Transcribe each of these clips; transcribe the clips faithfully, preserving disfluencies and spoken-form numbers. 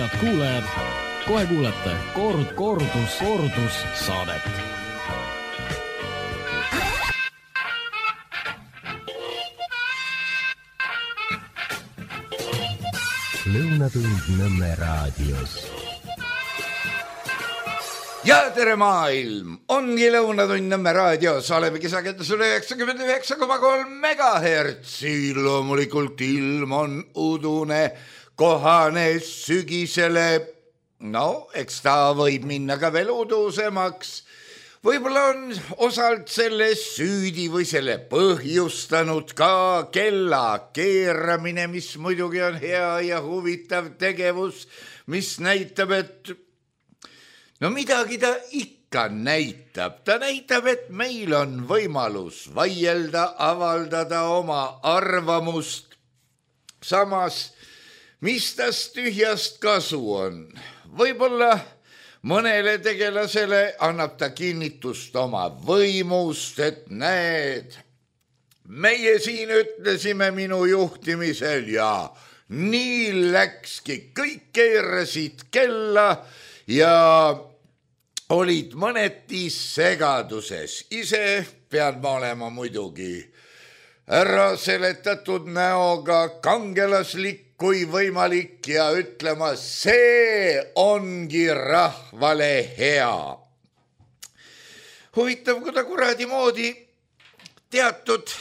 head kuulajad, kohe kuulete kord, kordus, kordus saadet. Lõunatund Nõmme raadios. Ja tere maailm, ongi Lõunatund Nõmme raadios, oleme kisakendusel üheksakümmend üheksa koma kolm megahertsil. Loomulikult ilm on udune, kohane sügisele. No, eks ta võib minna ka veel udusemaks. Võib-olla on osalt selle süüdi või selle põhjustanud ka kella keeramine, mis muidugi on hea ja huvitav tegevus, mis näitab, et no midagi ta ikka näitab. Ta näitab, et meil on võimalus vaielda, avaldada oma arvamust. Samas, mis tast tühjast kasu on? Võib-olla mõnele tegelasele annab ta kinnitust oma võimust, et näed, meie siin ütlesime minu juhtimisel ja nii läkski, kõik keerasid kella ja olid mõneti segaduses. Ise pean ma olema muidugi ära seletatud näoga, kangelaslik kui võimalik ja ütlema, see ongi rahvale hea. Huvitav, kuda kuradi moodi teatud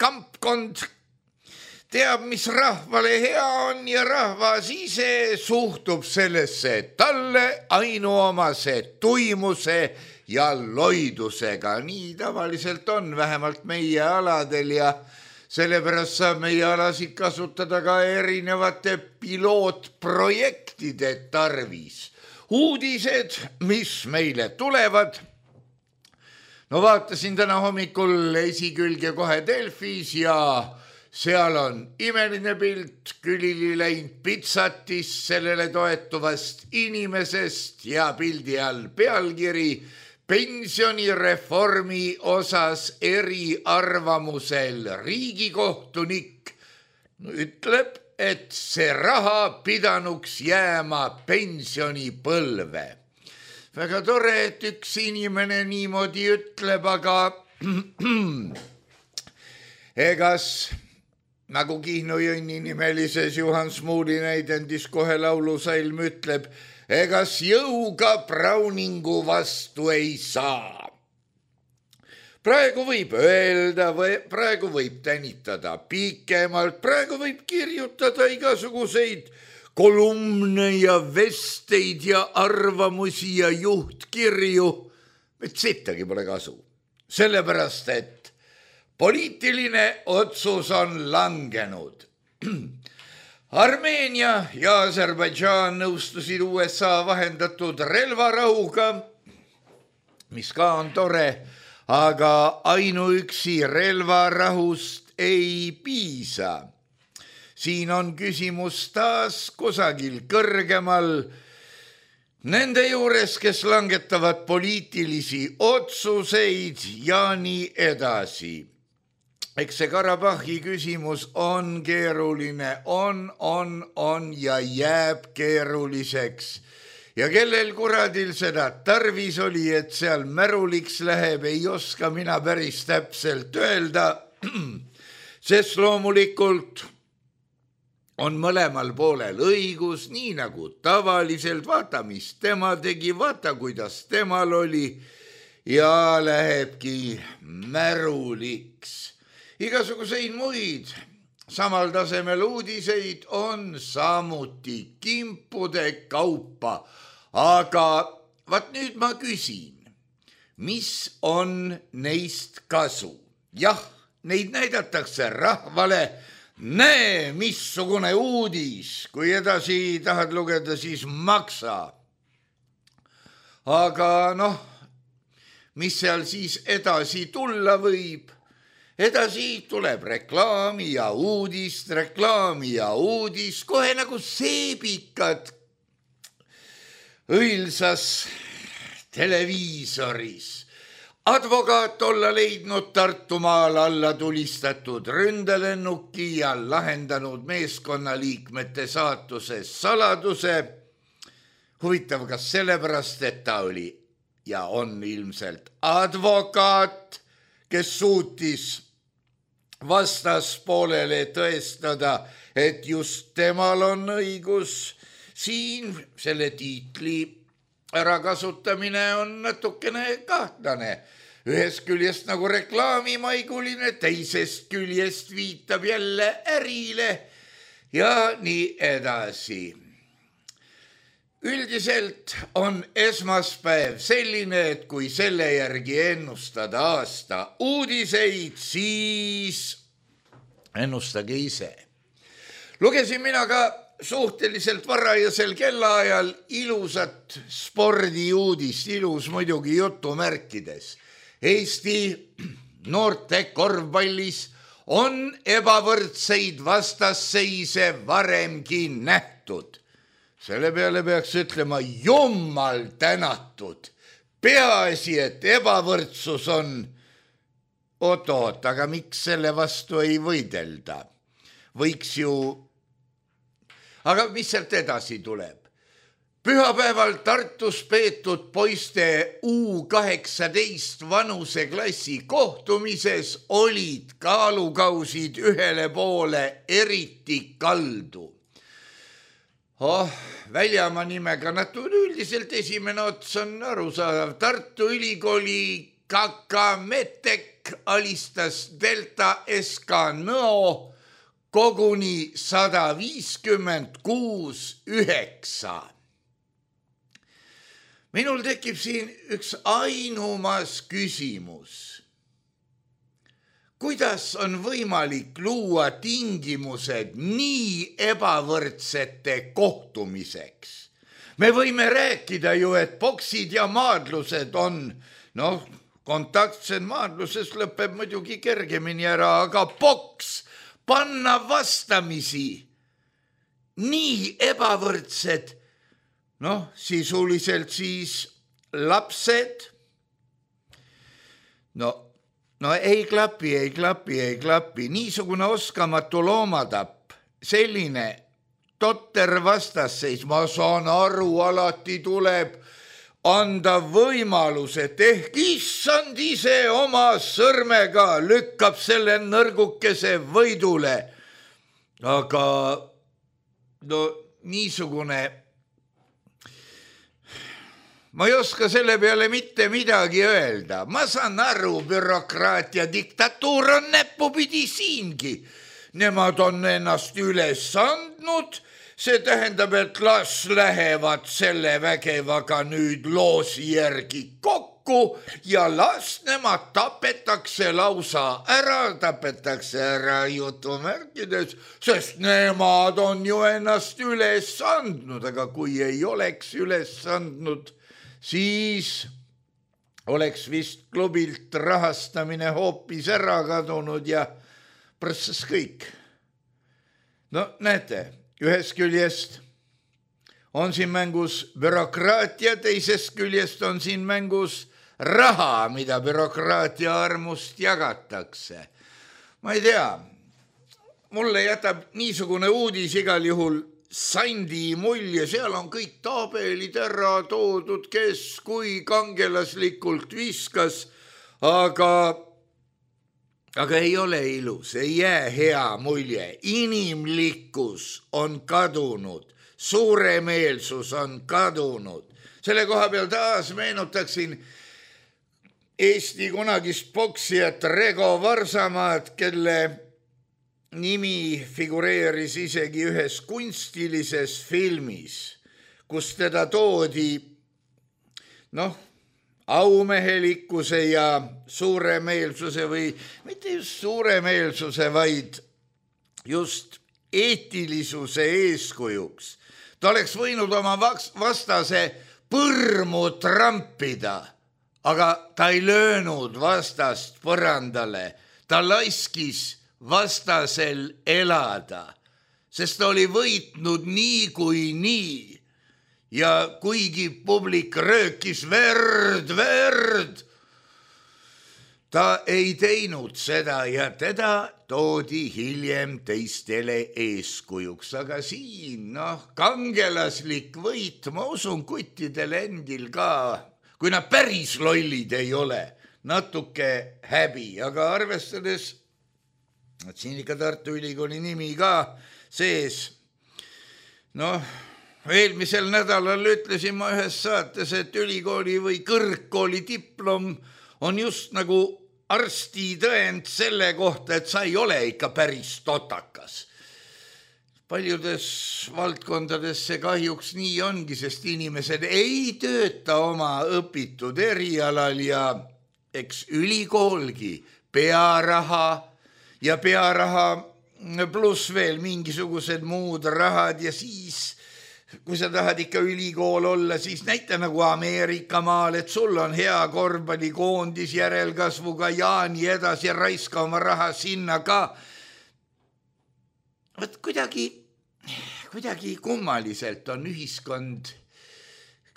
kampkond teab, mis rahvale hea on ja rahvas ise suhtub sellesse talle ainuomase tuimuse ja loidusega. Nii tavaliselt on vähemalt meie aladel ja sellepärast saab meie alasid kasutada ka erinevate pilootprojektide tarvis. Uudised, mis meile tulevad. No vaatasin täna hommikul esikülge kohe Delfis ja seal on imeline pilt külili läinud pitsatis sellele toetuvast inimesest ja pildi all pealkiri pensionireformi osas eriarvamusel riigikohtunik ütleb, et see raha pidanuks jääma pensionipõlve. Väga tore, et üks inimene niimoodi ütleb, aga egas nagu Kihnu Jõnni nimelises Juhan Smuuli näidendis kohe laulusalm ütleb, egas jõuga Browningu vastu ei saa. Praegu võib öelda, praegu võib tänitada pikemalt, praegu võib kirjutada igasuguseid kolumne ja vesteid ja arvamusi ja juhtkirju, et sittagi pole kasu. Sellepärast, et poliitiline otsus on langenud. Armeenia ja Aserbaidžaan nõustusid U S A vahendatud relvarahuga, mis ka on tore, aga ainuüksi relvarahust ei piisa. Siin on küsimus taas kusagil kõrgemal nende juures, kes langetavad poliitilisi otsuseid ja nii edasi. Eks see Karabahhi küsimus on keeruline, on, on, on ja jääb keeruliseks. Ja kellel kuradil seda tarvis oli, et seal märuliks läheb, ei oska mina päris täpselt öelda, sest loomulikult on mõlemal poolel õigus, nii nagu tavaliselt, vaata, mis tema tegi, vaata, kuidas temal oli ja lähebki märuliks. Igasuguseid muid samal tasemel uudiseid on samuti kimpude kaupa, aga vaat nüüd ma küsin, mis on neist kasu? Jah, neid näidatakse rahvale, näe, missugune uudis, kui edasi tahad lugeda, siis maksa. Aga noh, mis seal siis edasi tulla võib? Edasi tuleb reklaami ja uudist, reklaami ja uudis, kohe nagu seebikad õilsas televiisoris. Advokaat olla leidnud Tartumaal alla tulistatud ründelennuki ja lahendanud meeskonnaliikmete saatuse saladuse. huvitav, kas sellepärast, et ta oli ja on ilmselt advokaat, kes suutis vastaspoolele tõestada, et just temal on õigus. Siin selle tiitli ärakasutamine on natukene kahtlane. Ühest küljest nagu reklaamimaiguline, teisest küljest viitab jälle ärile ja nii edasi. Üldiselt on esmaspäev selline, et kui selle järgi ennustada aasta uudiseid, siis ennustage ise. Lugesin mina ka suhteliselt varajasel kellaajal ilusat spordiuudist, ilus muidugi jutumärkides. Eesti noorte korvpallis on ebavõrdseid vastasseise varemgi nähtud. Selle peale peaks ütlema jummal tänatud. Peaasi, et ebavõrdsus on oot-oot, aga miks selle vastu ei võidelda? Võiks ju... Aga mis sealt edasi tuleb? Pühapäeval Tartus peetud poiste U kaheksateist vanuseklassi kohtumises olid kaalukausid ühele poole eriti kaldu. Oh, väljamaa nimega natuke üldiselt esimene ots on arusaadav. Tartu Ülikooli Kakametek alistas Delta S K Nõo koguni sada viiskümmend kuus üheksa. Minul tekib siin üks ainumas küsimus. Kuidas on võimalik luua tingimused nii ebavõrdsete kohtumiseks? Me võime rääkida ju, et boksid ja maadlused on, noh, kontaktsed maadluses lõpeb muidugi kergemini ära, aga boks panna vastamisi nii ebavõrdsed, noh, sisuliselt siis lapsed, no, no ei klapi, ei klapi, ei klapi, niisugune oskamatu loomatapp, selline totter vastasseis, ma saan aru, alati tuleb anda võimalus, et ehk issand ise oma sõrmega lükkab selle nõrgukese võidule. Aga no niisugune, ma ei oska selle peale mitte midagi öelda. Ma saan aru, bürokraatia diktatuur on näppupidi siingi. Nemad on ennast üles andnud. See tähendab, et las lähevad selle vägevaga nüüd loosi järgi kokku ja las nemad tapetakse lausa ära, tapetakse ära jutumärkides, sest nemad on ju ennast üles andnud, aga kui ei oleks üles andnud, siis oleks vist klubilt rahastamine hoopis ära kadunud ja prõssas kõik. No näete, ühest küljest on siin mängus bürokraatia, teisest küljest on siin mängus raha, mida bürokraatia armust jagatakse. Ma ei tea, mulle jätab niisugune uudis igal juhul sandi mulje, seal on kõik tabelid ära toodud, kes kui kangelaslikult viskas, aga... Aga ei ole ilus, ei jää hea mulje. Inimlikkus on kadunud, suuremeelsus on kadunud. Selle koha peal taas meenutaksin Eesti kunagist boksijat Rego Varsamaad, kelle nimi figureeris isegi ühes kunstilises filmis, kus teda toodi, noh, aumehelikkuse ja suuremeelsuse või mitte just suuremeelsuse, vaid just eetilisuse eeskujuks. Ta oleks võinud oma vastase põrmu trampida, aga ta ei löönud vastast põrandale. Ta laskis vastasel elada, sest ta oli võitnud nii kui nii. Ja kuigi publik röökis verd, verd, ta ei teinud seda ja teda toodi hiljem teistele eeskujuks, aga siin, noh, kangelaslik võit, ma usun kuttidel endil ka, kui nad päris lollid ei ole, natuke häbi, aga arvestades, et siin ikka Tartu Ülikooli nimi ka sees, noh, eelmisel nädalal ütlesin ma ühes saates, et ülikooli või kõrgkooli diplom on just nagu arsti tõend selle kohta, et sa ei ole ikka päris totakas. Paljudes valdkondades see kahjuks nii ongi, sest inimesed ei tööta oma õpitud erialal ja eks ülikoolgi pearaha ja pearaha pluss veel mingisugused muud rahad ja siis kui sa tahad ikka ülikool olla, siis näita nagu Ameerika maal, et sul on hea korvpallikoondis järelkasvuga ja nii edasi, raiska oma raha sinna ka. Võt kuidagi, kuidagi kummaliselt on ühiskond,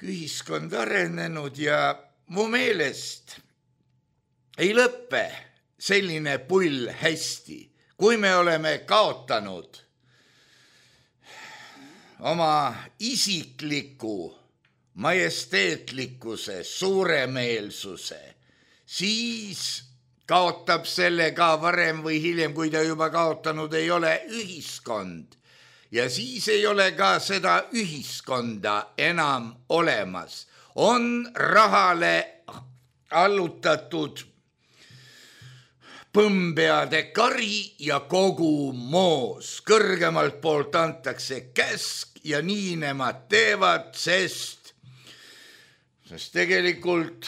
ühiskond arenenud ja mu meelest ei lõppe selline pull hästi, kui me oleme kaotanud oma isikliku majesteetlikkuse, suuremeelsuse, siis kaotab selle ka varem või hiljem, kui ta juba kaotanud ei ole, ühiskond. Ja siis ei ole ka seda ühiskonda enam olemas. On rahale allutatud põmbeade kari ja kogu moos. Kõrgemalt poolt antakse käsk ja nii nemad teevad, sest, sest tegelikult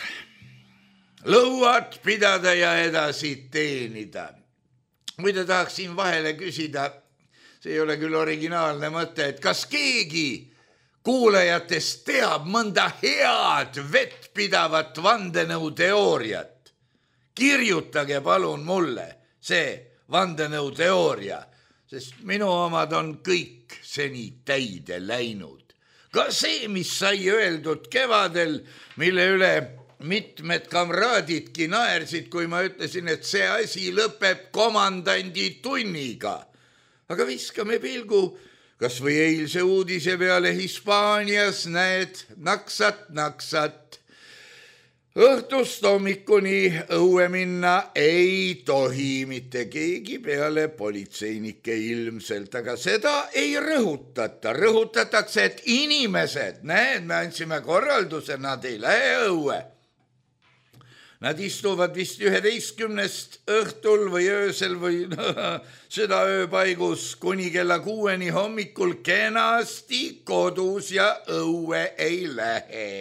lõuad pidada ja edasi teenida. Muide tahaksin vahele küsida, see ei ole küll originaalne mõte, et kas keegi kuulajatest teab mõnda head vettpidavat vandenõuteooriat? Kirjutage palun mulle see vandenõuteooria, sest minu omad on kõik seni täide läinud. Ka see, mis sai öeldud kevadel, mille üle mitmed kamraadidki naersid, kui ma ütlesin, et see asi lõpeb komandandi tunniga. Aga viskame pilgu, kas või eilse uudise peale Hispaanias näed naksat, naksat. Õhtust hommikuni õue minna ei tohi mitte keegi peale politseinike ilmselt, aga seda ei rõhutata. Rõhutatakse, et inimesed, näed, me andsime korralduse, nad ei lähe õue. Nad istuvad vist üheteistkümnest õhtul või öösel või seda ööpaigus kuni kella kuueni hommikul kenasti kodus ja õue ei lähe.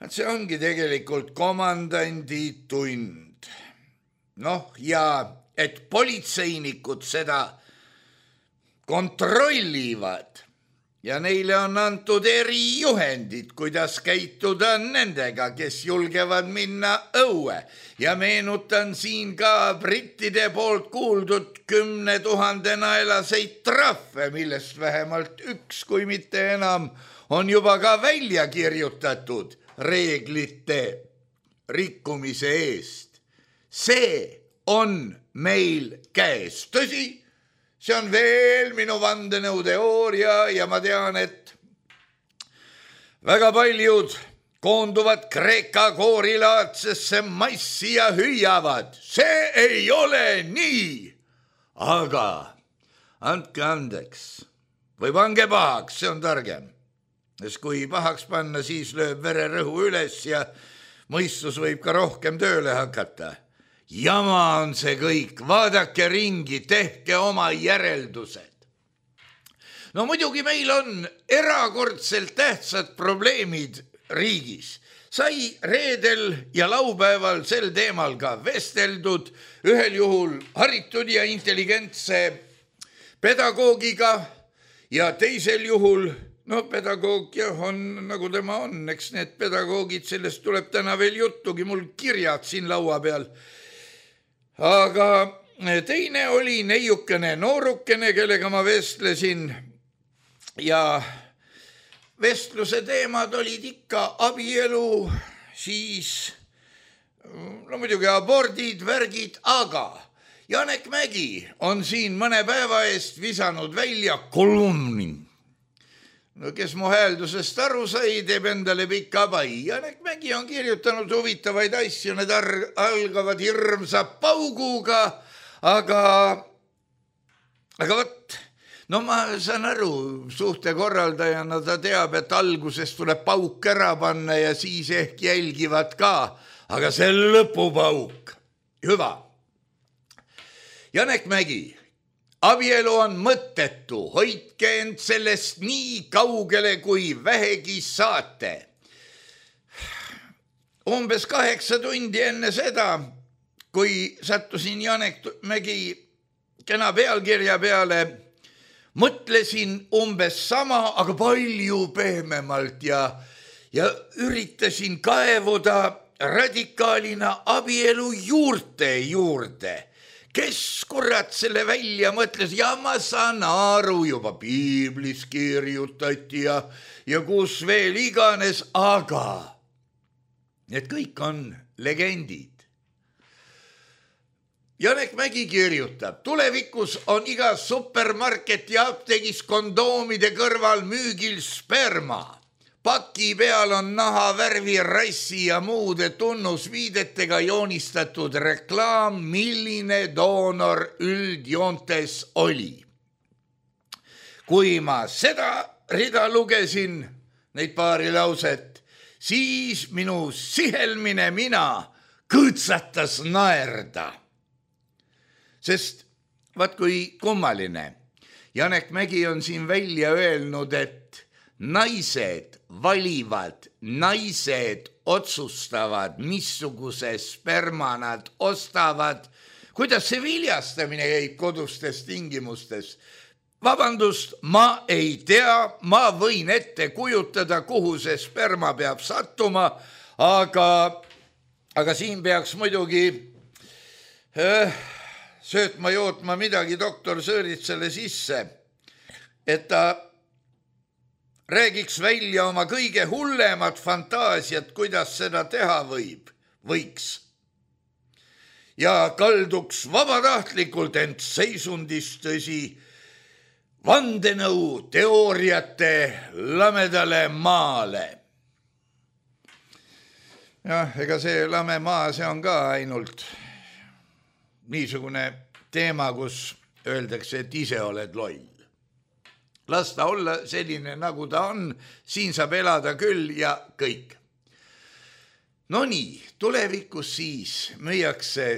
See ongi tegelikult komandandi tund. Noh, ja et politseinikud seda kontrollivad ja neile on antud erijuhendid, kuidas käituda nendega, kes julgevad minna õue. Ja meenutan siin ka brittide poolt kuuldud kümne tuhande naelaseid trahve, millest vähemalt üks, kui mitte enam, on juba ka välja kirjutatud reeglite rikkumise eest. See on meil käes. Tõsi, see on veel minu vandenõuteooria ja ma tean, et väga paljud koonduvad Kreeka koorilaadsesse massi ja hüüavad. See ei ole nii. Aga andke andeks või pange pahaks, see on targem. Sest kui pahaks panna, siis lööb vererõhu üles ja mõistus võib ka rohkem tööle hakata. Jama on see kõik, vaadake ringi, tehke oma järeldused. No muidugi meil on erakordselt tähtsad probleemid riigis. Sai reedel ja laupäeval sel teemal ka vesteldud, ühel juhul haritud ja intelligentse pedagoogiga ja teisel juhul no pedagoog jah on nagu tema on, eks need pedagoogid, sellest tuleb täna veel juttugi, mul kirjad siin laua peal. Aga teine oli neiukene noorukene, kellega ma vestlesin ja vestluse teemad olid ikka abielu, siis no muidugi abordid, värgid, aga Janek Mägi on siin mõne päeva eest visanud välja kolumni. No kes mu hääldusest aru sai, teeb endale pika pai. Janek Mägi on kirjutanud huvitavaid asju, need algavad hirmsa pauguga, aga, aga võt, no ma saan aru, suhtekorraldajana ta teab, et alguses tuleb pauk ära panna ja siis ehk jälgivad ka, aga see lõpupauk, hüva. Janek Mägi, abielu on mõttetu, hoidke end sellest nii kaugele, kui vähegi saate. Umbes kaheksa tundi enne seda, kui sattusin Janek Mägi kena pealkirja peale, mõtlesin umbes sama, aga palju pehmemalt ja, ja üritasin kaevuda radikaalina abielu juurte juurde. Kes kurat selle välja mõtles? Ja ma saan aru, juba piiblis kirjutati ja, ja kus veel iganes, aga need kõik on legendid. Janek Mägi kirjutab, tulevikus on igas supermarket ja apteegis kondoomide kõrval müügil sperma. Paki peal on naha värvi, rassi ja muude tunnusviidetega joonistatud reklaam, milline doonor üldjoontes oli. Kui ma seda rida lugesin, neid paari lauset, siis minu sihelmine mina kõõtsatas naerda. Sest vaat kui kummaline, Janek Mägi on siin välja öelnud, et naised valivad, naised otsustavad, missuguse sperma nad ostavad, kuidas see viljastamine käib kodustes tingimustes. Vabandust, ma ei tea, ma võin ette kujutada, kuhu see sperma peab sattuma, aga, aga siin peaks muidugi äh, söötma jootma midagi doktor Sõõritsale sisse, et ta räägiks välja oma kõige hullemat fantaasiat, kuidas seda teha võib, võiks. Ja kalduks vabatahtlikult end seisundis tõsi vandenõu teooriate lamedale maale. Jah, ega see lame maa, see on ka ainult niisugune teema, kus öeldakse, et ise oled loll. Las ta olla selline, nagu ta on, siin saab elada küll ja kõik. No nii, tulevikus siis müüakse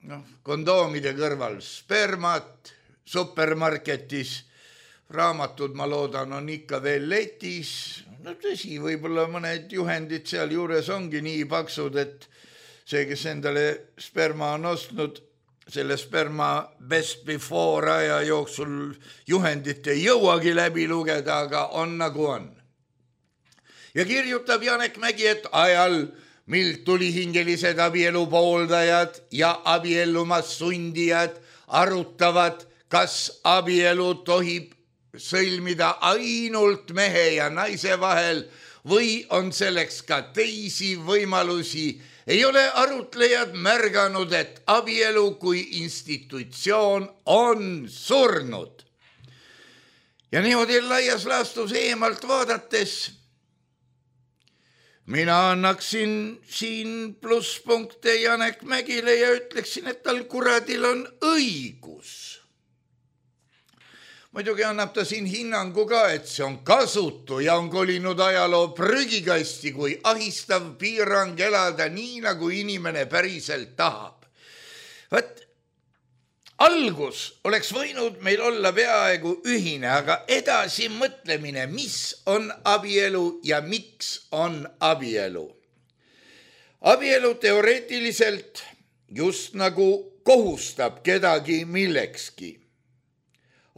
no, kondoomide kõrval spermat, supermarketis, raamatud, ma loodan, on ikka veel letis. No tõsi, võib-olla mõned juhendid seal juures ongi nii paksud, et see, kes endale sperma on ostnud, selle sperma best before aja jooksul juhendit ei jõuagi läbi lugeda, aga on nagu on. Ja kirjutab Janek Mägi, et ajal, mil tulihingelised abielu pooldajad ja abiellumas sundijad arutavad, kas abielu tohib sõlmida ainult mehe ja naise vahel või on selleks ka teisi võimalusi, ei ole arutlejad märganud, et abielu kui institutsioon on surnud. Ja niimoodi laias laastus eemalt vaadates mina annaksin siin plusspunkte Janek Mägile ja ütleksin, et tal kuradil on õigus. Muidugi annab ta siin hinnangu ka, et see on kasutu ja on kolinud ajaloo prügikasti, kui ahistav piirang elada nii, nagu inimene päriselt tahab. Võt, algus oleks võinud meil olla peaaegu ühine, aga edasi mõtlemine, mis on abielu ja miks on abielu. Abielu teoreetiliselt just nagu kohustab kedagi millekski.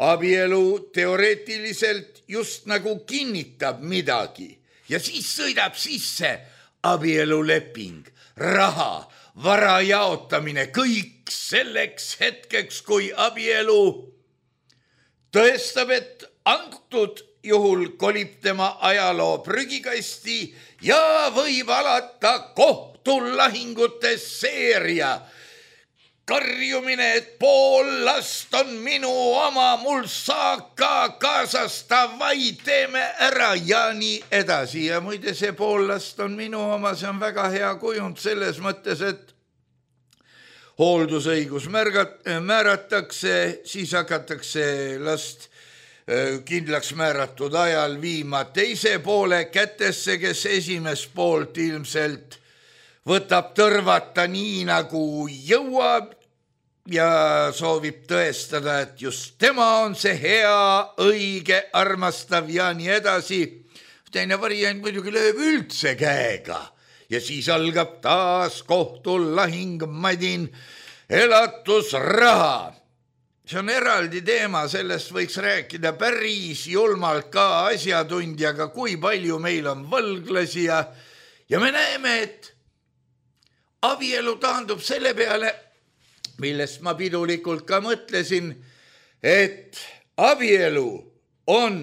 Abielu teoreetiliselt just nagu kinnitab midagi ja siis sõidab sisse abieluleping, raha, vara jaotamine, kõik selleks hetkeks, kui abielu tõestab, et antud juhul kolib tema ajaloo prügikasti ja võib alata koht. kohtulahingutes seeria. Karjumine, et pool last on minu oma, mul saak ka kaasas, davai, teeme ära ja nii edasi. Ja muide, see pool last on minu oma, see on väga hea kujund selles mõttes, et hooldusõigus märgat, määratakse, siis hakatakse last kindlaks määratud ajal viima teise poole kätesse, kes esimest poolt ilmselt võtab tõrvata nii nagu jõuab ja soovib tõestada, et just tema on see hea, õige, armastav ja nii edasi. Teine variant muidugi lööb üldse käega ja siis algab taas kohtulahing, madin, elatusraha. See on eraldi teema, sellest võiks rääkida päris julmalt ka asjatundjaga, kui palju meil on võlglasi ja, ja me näeme, et abielu taandub selle peale, millest ma pidulikult ka mõtlesin, et abielu on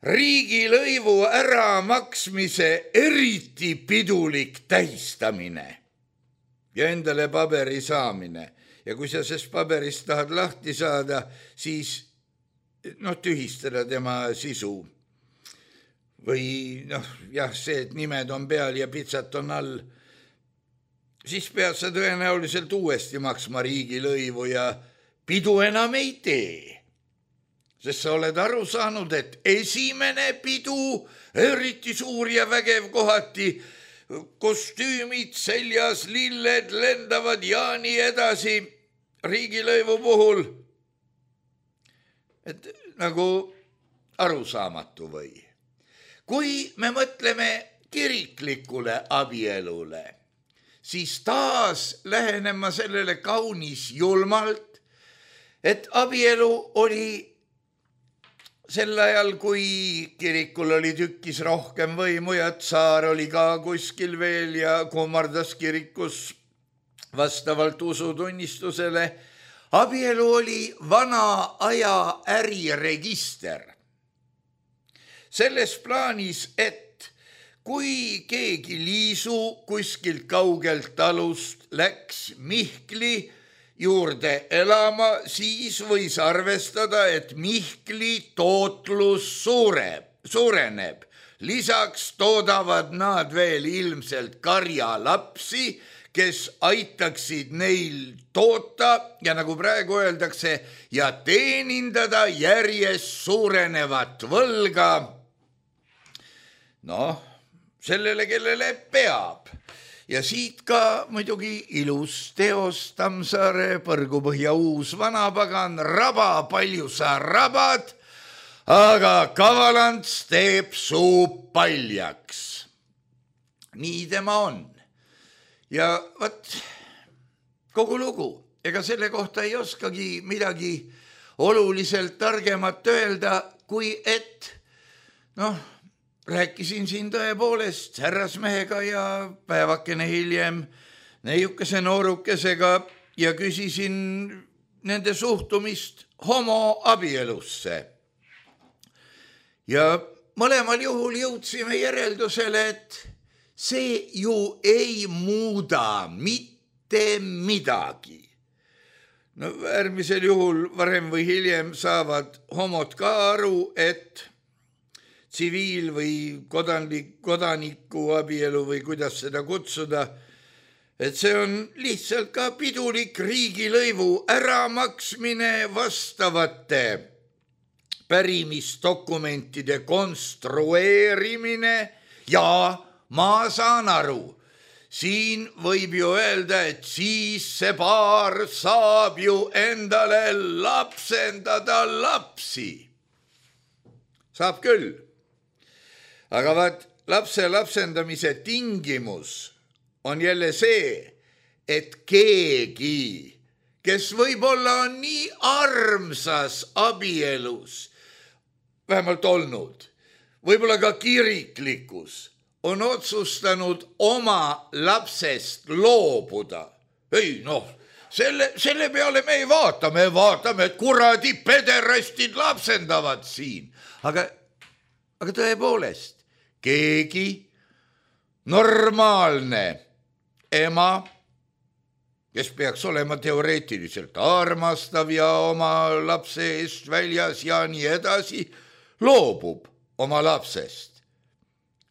riigilõivu äramaksmise eriti pidulik tähistamine ja endale paberi saamine. Ja kui sa sest paberist tahad lahti saada, siis noh, tühistada tema sisu. Või noh, jah, see, et nimed on peal ja pitsat on all, siis pead sa tõenäoliselt uuesti maksma riigilõivu ja pidu enam ei tee. Sest sa oled aru saanud, et esimene pidu, eriti suur ja vägev kohati, kostüümid seljas, lilled lendavad ja nii edasi riigilõivu puhul. Et nagu arusaamatu või. Kui me mõtleme kiriklikule abielule, siis taas lähenen ma sellele kaunis julmalt, et abielu oli sel ajal, kui kirikul oli tükkis rohkem võimu ja tsaar oli ka kuskil veel ja kummardas kirikus vastavalt usutunnistusele, abielu oli vana aja äriregister. Selles plaanis, et kui keegi liisu kuskilt kaugelt talust läks Mihkli juurde elama, siis võis arvestada, et Mihkli tootlus suureb, suureneb. Lisaks toodavad nad veel ilmselt karjalapsi, kes aitaksid neil toota ja nagu praegu öeldakse, ja teenindada järjest suurenevat võlga. Noh, sellele, kellele peab. Ja siit ka muidugi ilus teos Tammsaare, Põrgupõhja uus vanapagan, raba, palju sa rabad, aga kavalants teeb suu paljaks. Nii tema on. Ja võt, kogu lugu, ega selle kohta ei oskagi midagi oluliselt targemat öelda, kui et, noh, rääkisin siin tõepoolest härrasmehega ja päevakene hiljem neiukese noorukesega ja küsisin nende suhtumist homoabielusse. Ja mõlemal juhul jõudsime järeldusele, et see ju ei muuda mitte midagi. No äärmisel juhul varem või hiljem saavad homod ka aru, et tsiviil- või kodanik, kodaniku abielu või kuidas seda kutsuda, et see on lihtsalt ka pidulik riigilõivu äramaksmine vastavate pärimisdokumentide konstrueerimine ja ma saan aru, siin võib ju öelda, et siis see paar saab ju endale lapsendada lapsi. Saab küll. Aga vaat lapse lapsendamise tingimus on jälle see, et keegi, kes võib-olla on nii armsas abielus, vähemalt olnud, võib-olla ka kiriklikus, on otsustanud oma lapsest loobuda. Ei noh, selle, selle peale me ei vaata, me vaatame, et kuradi pederastid lapsendavad siin. Aga, aga tõepoolest, keegi normaalne ema, kes peaks olema teoreetiliselt armastav ja oma lapse eest väljas ja nii edasi, loobub oma lapsest.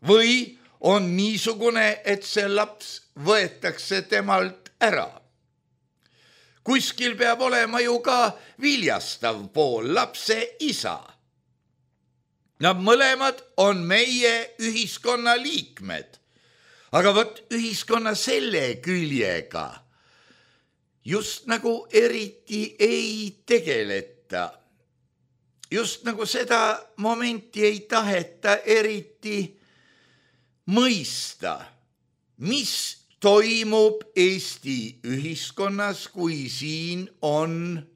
Või on niisugune, et see laps võetakse temalt ära. Kuskil peab olema ju ka viljastav pool, lapse isa. Nad mõlemad on meie ühiskonna liikmed, aga võt ühiskonna selle küljega just nagu eriti ei tegeleta. Just nagu seda momenti ei taheta eriti mõista, mis toimub Eesti ühiskonnas, kui siin on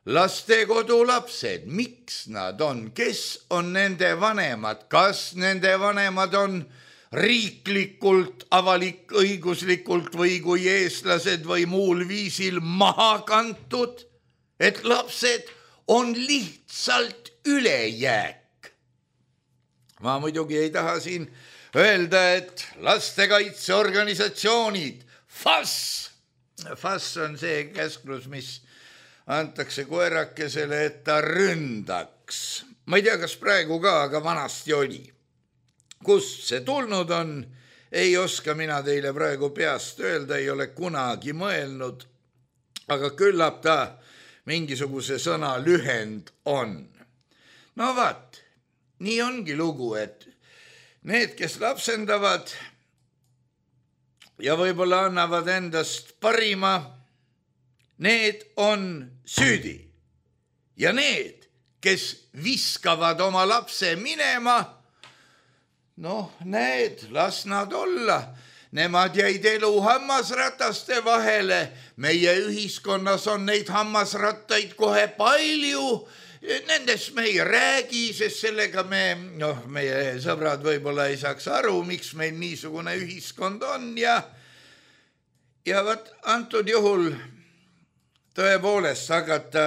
lastekodu lapsed. Miks nad on? Kes on nende vanemad? Kas nende vanemad on riiklikult, avalik-õiguslikult või kui eestlased või muul viisil maha kantud, et lapsed on lihtsalt ülejääk. Ma muidugi ei taha siin öelda, et lastekaitseorganisatsioonid, F A S, F A S on see käsklus, mis antakse koerakesele, et ta ründaks. Ma ei tea, kas praegu ka, aga vanasti oli. Kust see tulnud on, ei oska mina teile praegu peast öelda, ei ole kunagi mõelnud, aga küllap ta mingisuguse sõna lühend on. No vaat, nii ongi lugu, et need, kes lapsendavad ja võib-olla annavad endast parima, need on süüdi. Ja need, kes viskavad oma lapse minema, noh, need, las nad olla. Nemad jäid elu hammasrataste vahele. Meie ühiskonnas on neid hammasrattaid kohe palju. Nendest me ei räägi, sest sellega me, noh, meie sõbrad võib-olla ei saaks aru, miks meil niisugune ühiskond on. Ja, ja võt, antud juhul tõepoolest hakata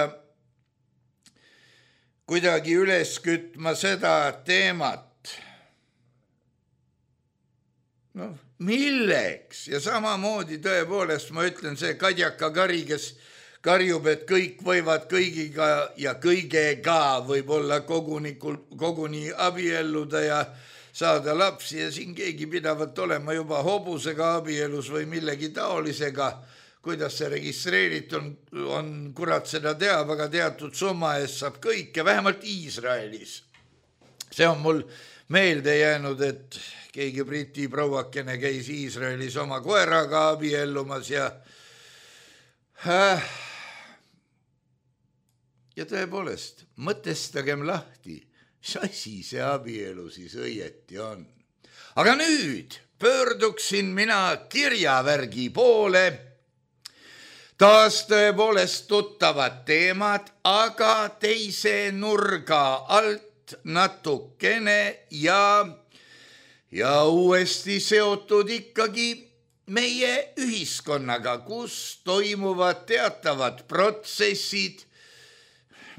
kuidagi üles kütma seda teemat. No, milleks? Ja samamoodi tõepoolest ma ütlen see Kadjaka Kari, kes karjub, et kõik võivad kõigiga ja kõigega võib olla koguni, koguni abielluda ja saada lapsi ja siin keegi pidavat olema juba hobusega abielus või millegi taolisega. Kuidas see registreeritud on, on, kurat seda teab, aga teatud summa eest saab kõike, vähemalt Iisraelis. See on mul meelde jäänud, et keegi briti prouakene käis Iisraelis oma koeraga abiellumas ja äh, ja tõepoolest, mõtestagem lahti, mis asi see abielu siis õieti on. Aga nüüd pöörduksin mina kirjavärgi poole. Taas tõepoolest tuttavad teemad, aga teise nurga alt natukene ja, ja uuesti seotud ikkagi meie ühiskonnaga, kus toimuvad teatavad protsessid,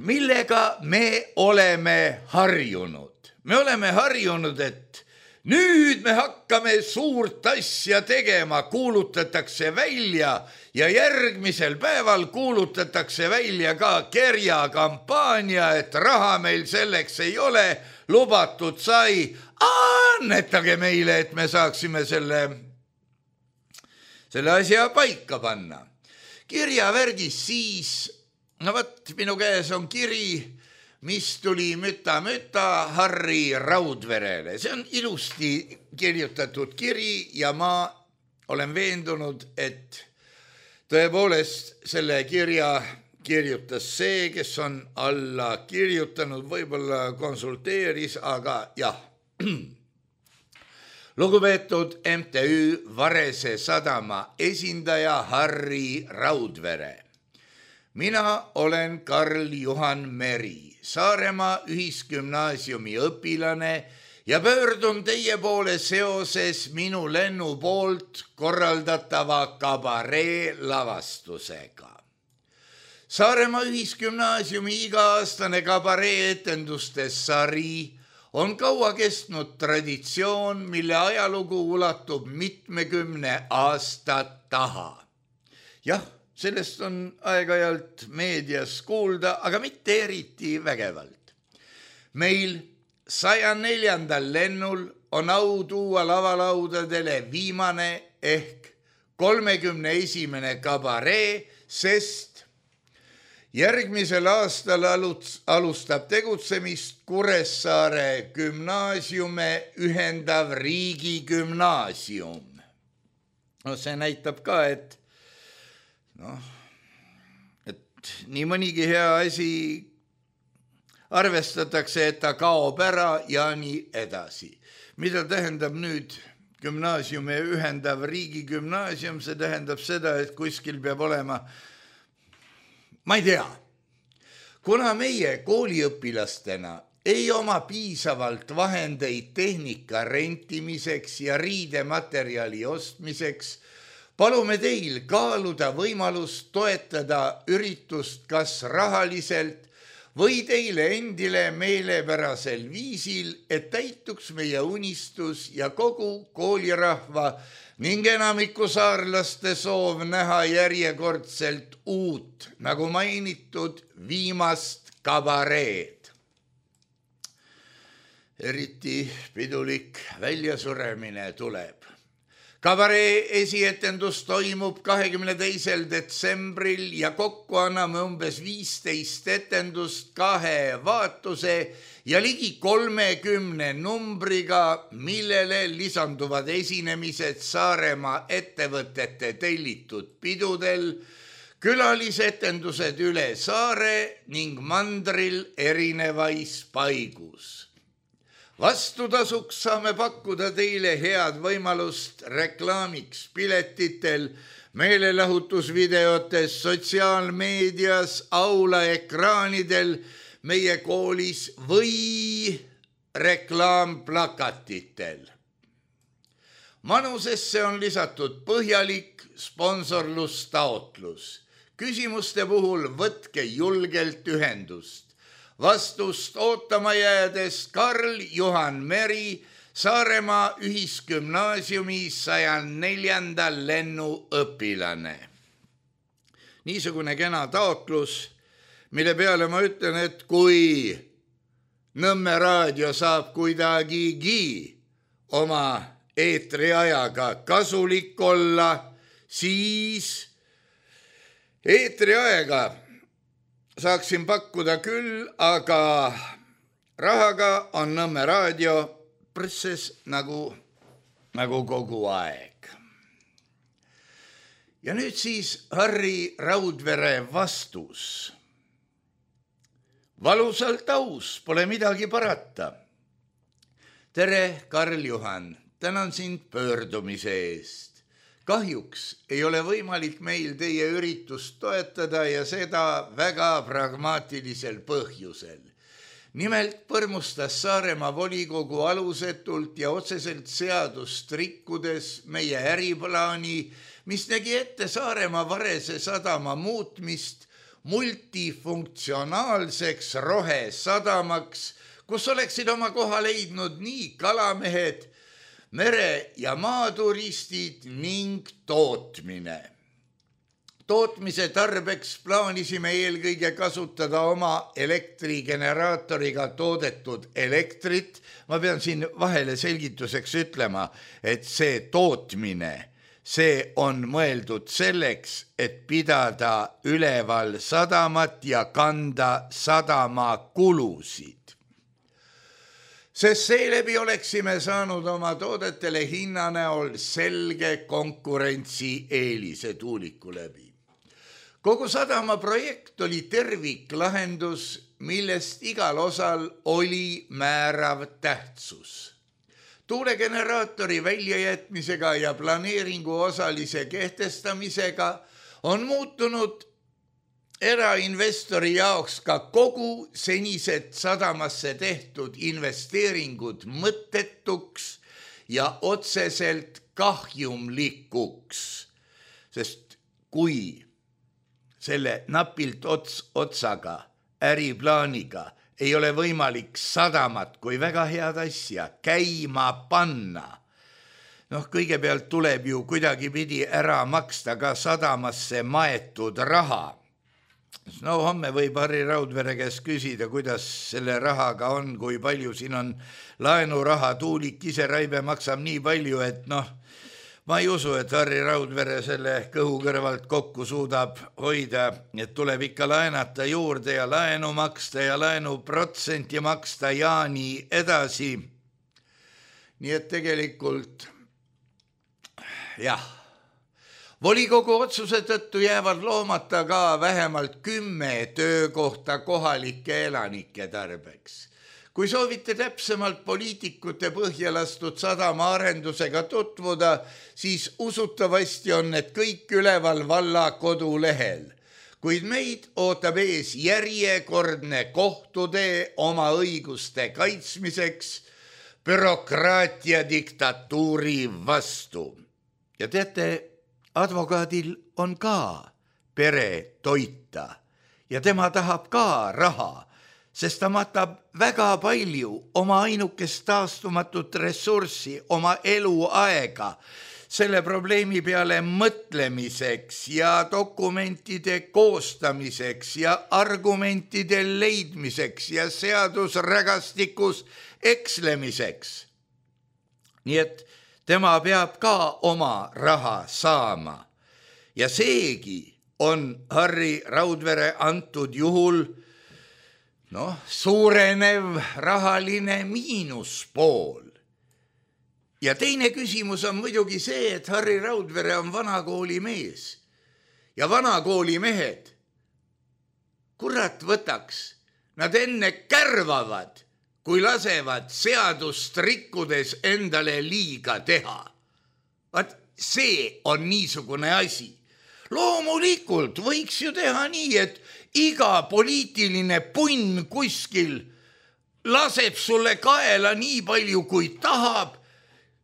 millega me oleme harjunud. Me oleme harjunud, et nüüd me hakkame suurt asja tegema, kuulutatakse välja ja järgmisel päeval kuulutatakse välja ka kerjakampaania, et raha meil selleks ei ole, lubatud sai, annetage meile, et me saaksime selle, selle asja paika panna. Kirjavärgis siis, no võt, minu käes on kiri, mis tuli müta-müta Harri Raudverele. See on ilusti kirjutatud kiri ja ma olen veendunud, et tõepoolest selle kirja kirjutas see, kes on alla kirjutanud, võib-olla konsulteeris, aga jah. Lugupeetud M T Ü Varese sadama esindaja Harri Raudvere. Mina olen Karl-Juhan Meri, Saaremaa ühisgümnaasiumi õpilane ja pöördun teie poole seoses minu lennu poolt korraldatava kabaree lavastusega. Saaremaa ühisgümnaasiumi iga-aastane kabaree etenduste sari on kaua kestnud traditsioon, mille ajalugu ulatub mitmekümne aasta taha. Jah, sellest on aeg-ajalt meedias kuulda, aga mitte eriti vägevalt. Meil saja neljandal lennul on au tuua lavalaudadele viimane ehk kolmekümne esimene kabaree, sest järgmisel aastal alustab tegutsemist Kuressaare gümnaasiume ühendav riigigümnaasium. No see näitab ka, et, noh, et nii mõnigi hea asi arvestatakse, et ta kaob ära ja nii edasi. Mida tähendab nüüd gümnaasiumi ühendav riigigümnaasium? See tähendab seda, et kuskil peab olema, ma ei tea, kuna meie kooliõpilastena ei oma piisavalt vahendeid tehnika rentimiseks ja riidematerjali ostmiseks, palume teil kaaluda võimalust toetada üritust kas rahaliselt või teile endile meelepärasel viisil, et täituks meie unistus ja kogu koolirahva ning enamiku saarlaste soov näha järjekordselt uut, nagu mainitud, viimast kabareed. Eriti pidulik väljasuremine tuleb. Kabaree esietendus toimub kahekümne teisel detsembril ja kokku anname umbes viisteist etendust kahe vaatuse ja ligi kolmekümne numbriga, millele lisanduvad esinemised Saaremaa ettevõtete tellitud pidudel, külalisetendused üle saare ning mandril erinevais paigus. Vastutasuks saame pakkuda teile head võimalust reklaamiks piletitel, meelelahutusvideotes, sotsiaalmeedias, aula ekraanidel, meie koolis või reklaamplakatitel. Manusesse on lisatud põhjalik sponsorlustaotlus. Küsimuste puhul võtke julgelt ühendust. Vastust ootama jäädes Karl Juhan Meri, Saaremaa ühisgümnaasiumi saja neljanda lennu õpilane. Niisugune kena taotlus, mille peale ma ütlen, et kui Nõmme raadio saab kuidagigi oma eetriajaga kasulik olla, siis eetriaega saaksin pakkuda küll, aga rahaga on Nõmme raadio presses nagu, nagu kogu aeg. Ja nüüd siis Harri Raudvere vastus. Valusalt aus, pole midagi parata. Tere, Karl Juhan, tänan sind pöördumise eest. Kahjuks ei ole võimalik meil teie üritust toetada ja seda väga pragmaatilisel põhjusel. Nimelt põrmustas Saaremaa volikogu alusetult ja otseselt seadust rikkudes meie äriplaani, mis nägi ette Saaremaa Varese sadama muutmist multifunktsionaalseks rohesadamaks, kus oleksid oma koha leidnud nii kalamehed, mere- ja maaturistid ning tootmine. Tootmise tarbeks plaanisime eelkõige kasutada oma elektrigeneraatoriga toodetud elektrit. Ma pean siin vahele selgituseks ütlema, et see tootmine, see on mõeldud selleks, et pidada üleval sadamat ja kanda sadama kulusid. Sest seeläbi oleksime saanud oma toodetele hinna näol selge konkurentsi eelise tuuliku läbi. Kogu sadama projekt oli terviklahendus, millest igal osal oli määrav tähtsus. Tuulegeneraatori väljajätmisega ja planeeringu osalise kehtestamisega on muutunud erainvestori jaoks ka kogu senised sadamasse tehtud investeeringud mõttetuks ja otseselt kahjumlikuks, sest kui selle napilt ots otsaga äriplaaniga ei ole võimalik sadamat kui väga head asja käima panna. Noh, kõigepealt tuleb ju kuidagi pidi ära maksta ka sadamasse maetud raha. No homme võib Harri Raudvere käest küsida, kuidas selle rahaga on, kui palju siin on laenuraha, Tuulik ise Raibe maksab nii palju, et noh, ma ei usu, et Harri Raudvere selle kõhu kõrvalt kokku suudab hoida, et tuleb ikka laenata juurde ja laenu maksta ja laenu protsenti maksta ja nii edasi. Nii et tegelikult jah, volikogu otsuse tõttu jäävad loomata ka vähemalt kümme töökohta kohalike elanike tarbeks. Kui soovite täpsemalt poliitikute põhjalastud sadama arendusega tutvuda, siis usutavasti on need kõik üleval valla kodulehel. Kuid meid ootab ees järjekordne kohtutee oma õiguste kaitsmiseks bürokraatia diktatuuri vastu. Ja teate, advokaadil on ka pere toita ja tema tahab ka raha, sest ta matab väga palju oma ainukest taastumatut ressurssi, oma eluaega selle probleemi peale mõtlemiseks ja dokumentide koostamiseks ja argumentide leidmiseks ja seadusrägastikus ekslemiseks. Nii et tema peab ka oma raha saama ja seegi on Harri Raudvere antud juhul noh, suurenev rahaline miinuspool. Ja teine küsimus on muidugi see, et Harri Raudvere on vanakooli mees ja vanakooli mehed, kurat võtaks, nad enne kärvavad, kui lasevad seadust rikkudes endale liiga teha. Vaat see on niisugune asi. Loomulikult võiks ju teha nii, et iga poliitiline punn kuskil laseb sulle kaela nii palju, kui tahab,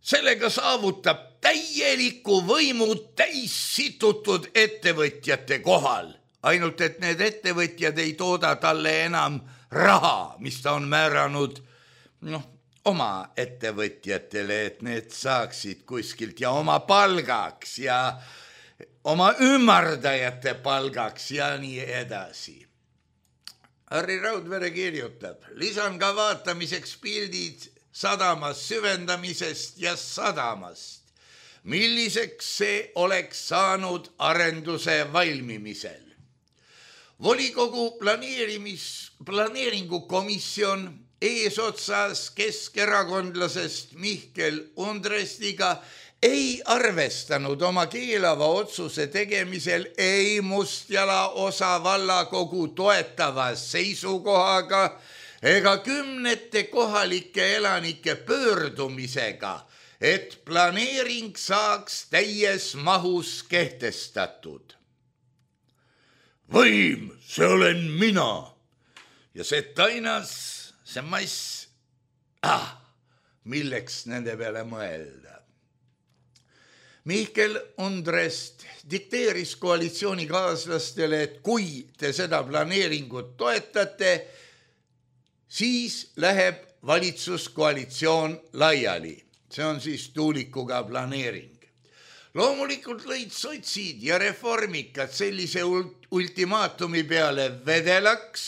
sellega saavutab täieliku võimu täissitutud ettevõtjate kohal. Ainult, et need ettevõtjad ei tooda talle enam raha, mis ta on määranud noh, oma ettevõtjatele, et need saaksid kuskilt ja oma palgaks ja oma ümardajate palgaks ja nii edasi. Harri Raudvere kirjutab, lisan ka vaatamiseks pildid sadamas süvendamisest ja sadamast, milliseks see oleks saanud arenduse valmimisel. Volikogu planeerimis, planeeringukomisjon eesotsas keskerakondlasest Mihkel Undrestiga ei arvestanud oma keelava otsuse tegemisel ei Mustjala osa vallakogu toetava seisukohaga ega kümnete kohalike elanike pöördumisega, et planeering saaks täies mahus kehtestatud. Võim, see olen mina ja see tainas, see mass, ah, milleks nende peale mõelda. Mihkel Undrest dikteeris koalitsioonikaaslastele, et kui te seda planeeringut toetate, siis läheb valitsuskoalitsioon laiali. See on siis Tuulikuga planeering. Loomulikult lõid sotsid ja reformikad sellise ultimaatumi peale vedelaks,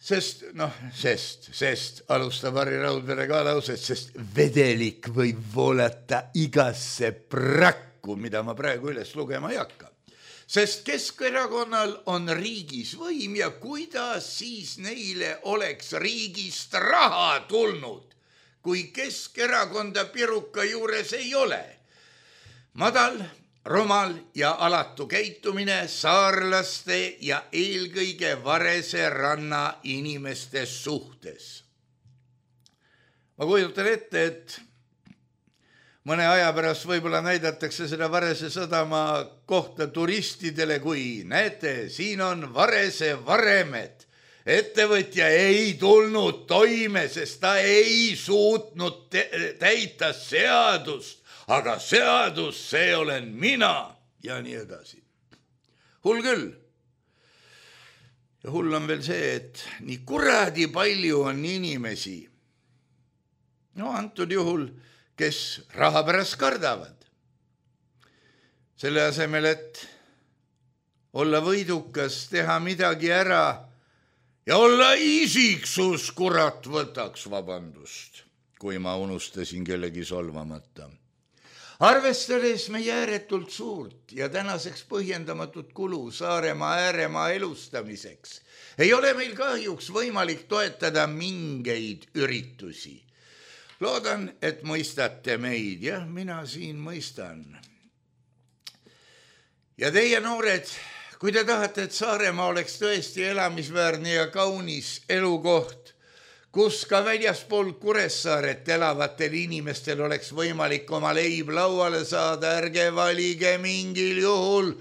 sest, noh, sest, sest, alustab Harri Raudvere ka lauset, sest vedelik võib voolata igasse prakku, mida ma praegu üles lugema ei hakka. Sest Keskerakonnal on riigis võim ja kuidas siis neile oleks riigist raha tulnud, kui Keskerakonda piruka juures ei ole. Madal, rumal ja alatu käitumine saarlaste ja eelkõige Varese ranna inimeste suhtes. Ma kujutan ette, et mõne aja pärast võib-olla näidatakse seda Varese sadama kohta turistidele, kui näete, siin on Varese varemed. Ettevõtja ei tulnud toime, sest ta ei suutnud täita seadust. Aga seadus, see olen mina ja nii edasi. Hull küll. Ja hull on veel see, et nii kuradi palju on inimesi, no antud juhul, kes raha pärast kardavad. Selle asemel, et olla võidukas, teha midagi ära ja olla isiksus, kurat, võtaks vabandust, kui ma unustasin kellegi solvamata. Arvestades meie ääretult suurt ja tänaseks põhjendamatut kulu Saaremaa ääremaa elustamiseks, ei ole meil kahjuks võimalik toetada mingeid üritusi. Loodan, et mõistate meid, jah, mina siin mõistan. Ja teie noored, kui te tahate, et Saaremaa oleks tõesti elamisväärne ja kaunis elukoht, kus ka väljaspool Kuressaaret elavatel inimestel oleks võimalik oma leib lauale saada, ärge valige mingil juhul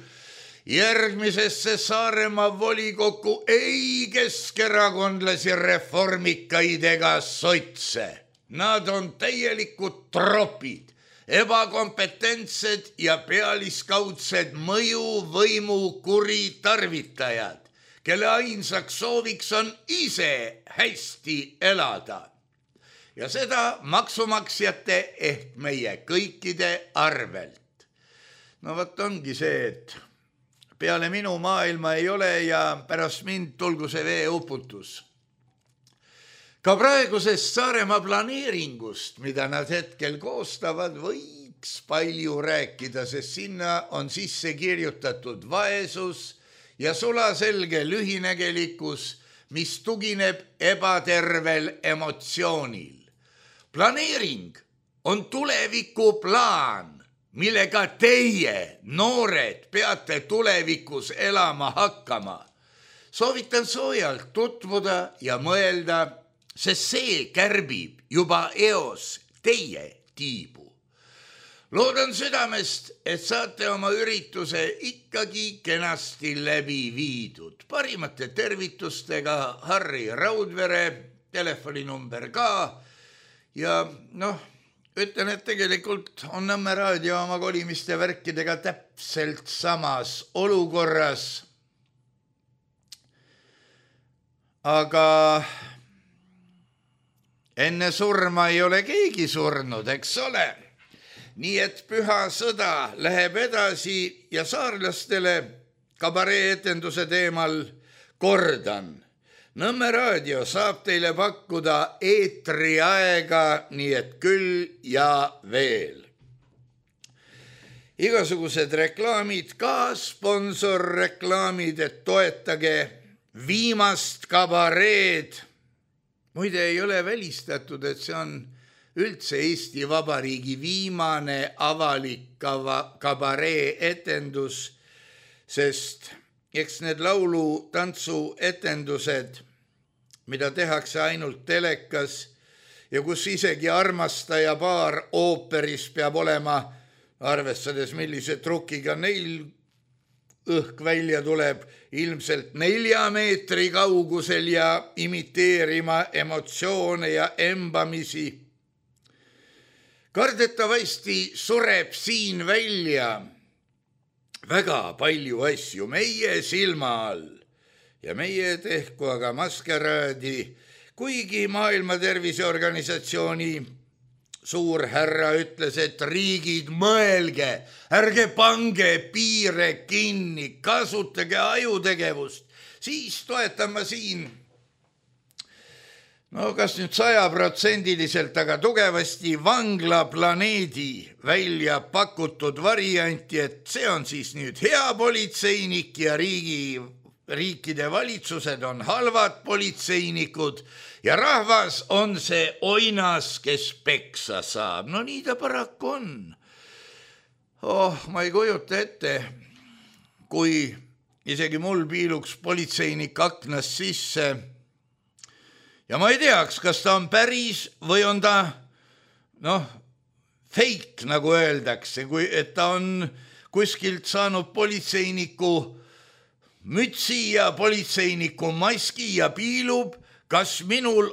järgmisesse Saaremaa volikokku ei keskerakondlasi, reformikaid ega sotse. Nad on täielikud tropid, ebakompetentsed ja pealiskaudsed mõjuvõimu kuritarvitajad, kelle ainsaks sooviks on ise hästi elada. Ja seda maksumaksjate ehk meie kõikide arvelt. No võt ongi see, et peale minu maailma ei ole ja pärast mind tulgu see veeuputus. Ka praegusest Saaremaa planeeringust, mida nad hetkel koostavad, võiks palju rääkida, sest sinna on sisse kirjutatud vaesus ja sulaselge lühinägelikkus, mis tugineb ebatervel emotsioonil. Planeering on tulevikuplaan, millega teie, noored, peate tulevikus elama hakkama. Soovitan soojalt tutvuda ja mõelda, sest see kärbib juba eos teie tiibu. Loodan südamest, et saate oma ürituse ikkagi kenasti läbi viidud. Parimate tervitustega Harri Raudvere, telefoninumber ka. Ja noh, ütlen, et tegelikult on Nõmme raadio oma kolimiste värkidega täpselt samas olukorras. Aga enne surma ei ole keegi surnud, eks ole. Nii et püha sõda läheb edasi ja saarlastele kabaree-etenduse teemal kordan. Nõmme raadio saab teile pakkuda eetriaega, nii et küll ja veel. Igasugused reklaamid, ka sponsorreklaamid, et toetage viimast kabareed. Muide ei ole välistatud, et see on üldse Eesti Vabariigi viimane avalik kabaree etendus, sest eks need laulu tantsu etendused, mida tehakse ainult telekas ja kus isegi armastaja paar ooperis peab olema, arvestades millise trukiga neil õhk välja tuleb, ilmselt nelja meetri kaugusel ja imiteerima emotsioone ja embamisi. Kardetavasti sureb siin välja väga palju asju meie silma all ja meie tehku aga maskeraadi, kuigi Maailma Terviseorganisatsiooni suur härra ütles, et riigid mõelge, ärge pange piire kinni, kasutage ajutegevust, siis toetan ma siin, no kas nüüd sajaprotsendiliselt, aga tugevasti vanglaplaneedi välja pakutud varianti, et see on siis nüüd hea politseinik ja riigi, riikide valitsused on halvad politseinikud ja rahvas on see oinas, kes peksa saab. No nii ta paraku on. Oh, ma ei kujuta ette, kui isegi mul piiluks politseinik aknast sisse ja ma ei teaks, kas ta on päris või on ta, noh, fake, nagu öeldakse, kui, et ta on kuskilt saanud politseiniku mütsi ja politseiniku maski ja piilub, kas minul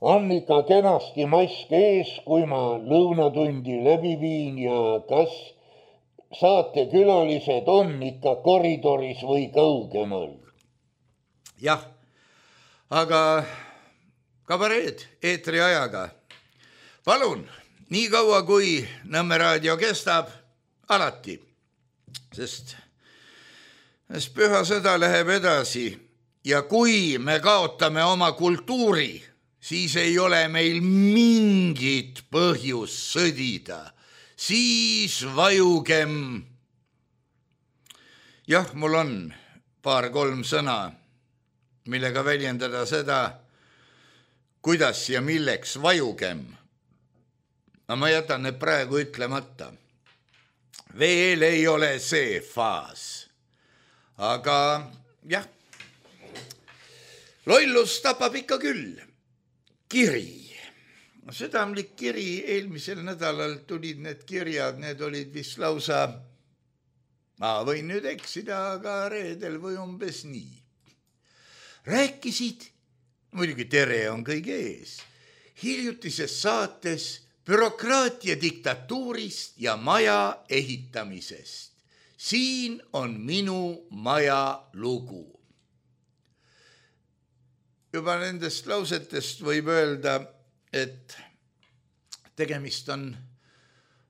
on ikka kenasti mask ees, kui ma lõunatundi läbi viin ja kas saatekülalised on ikka koridoris või kaugemal. jah, aga kabareed eetri ajaga. Palun, nii kaua kui Nõmme raadio kestab, alati, sest, sest püha sõda läheb edasi ja kui me kaotame oma kultuuri, siis ei ole meil mingit põhjust sõdida, siis vajugem. Jah, mul on paar-kolm sõna, millega väljendada seda, kuidas ja milleks vajugem. No ma jätan need praegu ütlemata. Veel ei ole see faas. Aga jah, lollus tapab ikka küll. Kiri. Südamlik kiri, eelmisel nädalal tulid need kirjad, need olid vist lausa, ma võin nüüd eksida, aga reedel või umbes nii. Rääkisid, muidugi tere on kõige ees, hiljutises saates bürokraatia diktatuurist ja maja ehitamisest. Siin on minu maja lugu. Juba nendest lausetest võib öelda, et tegemist on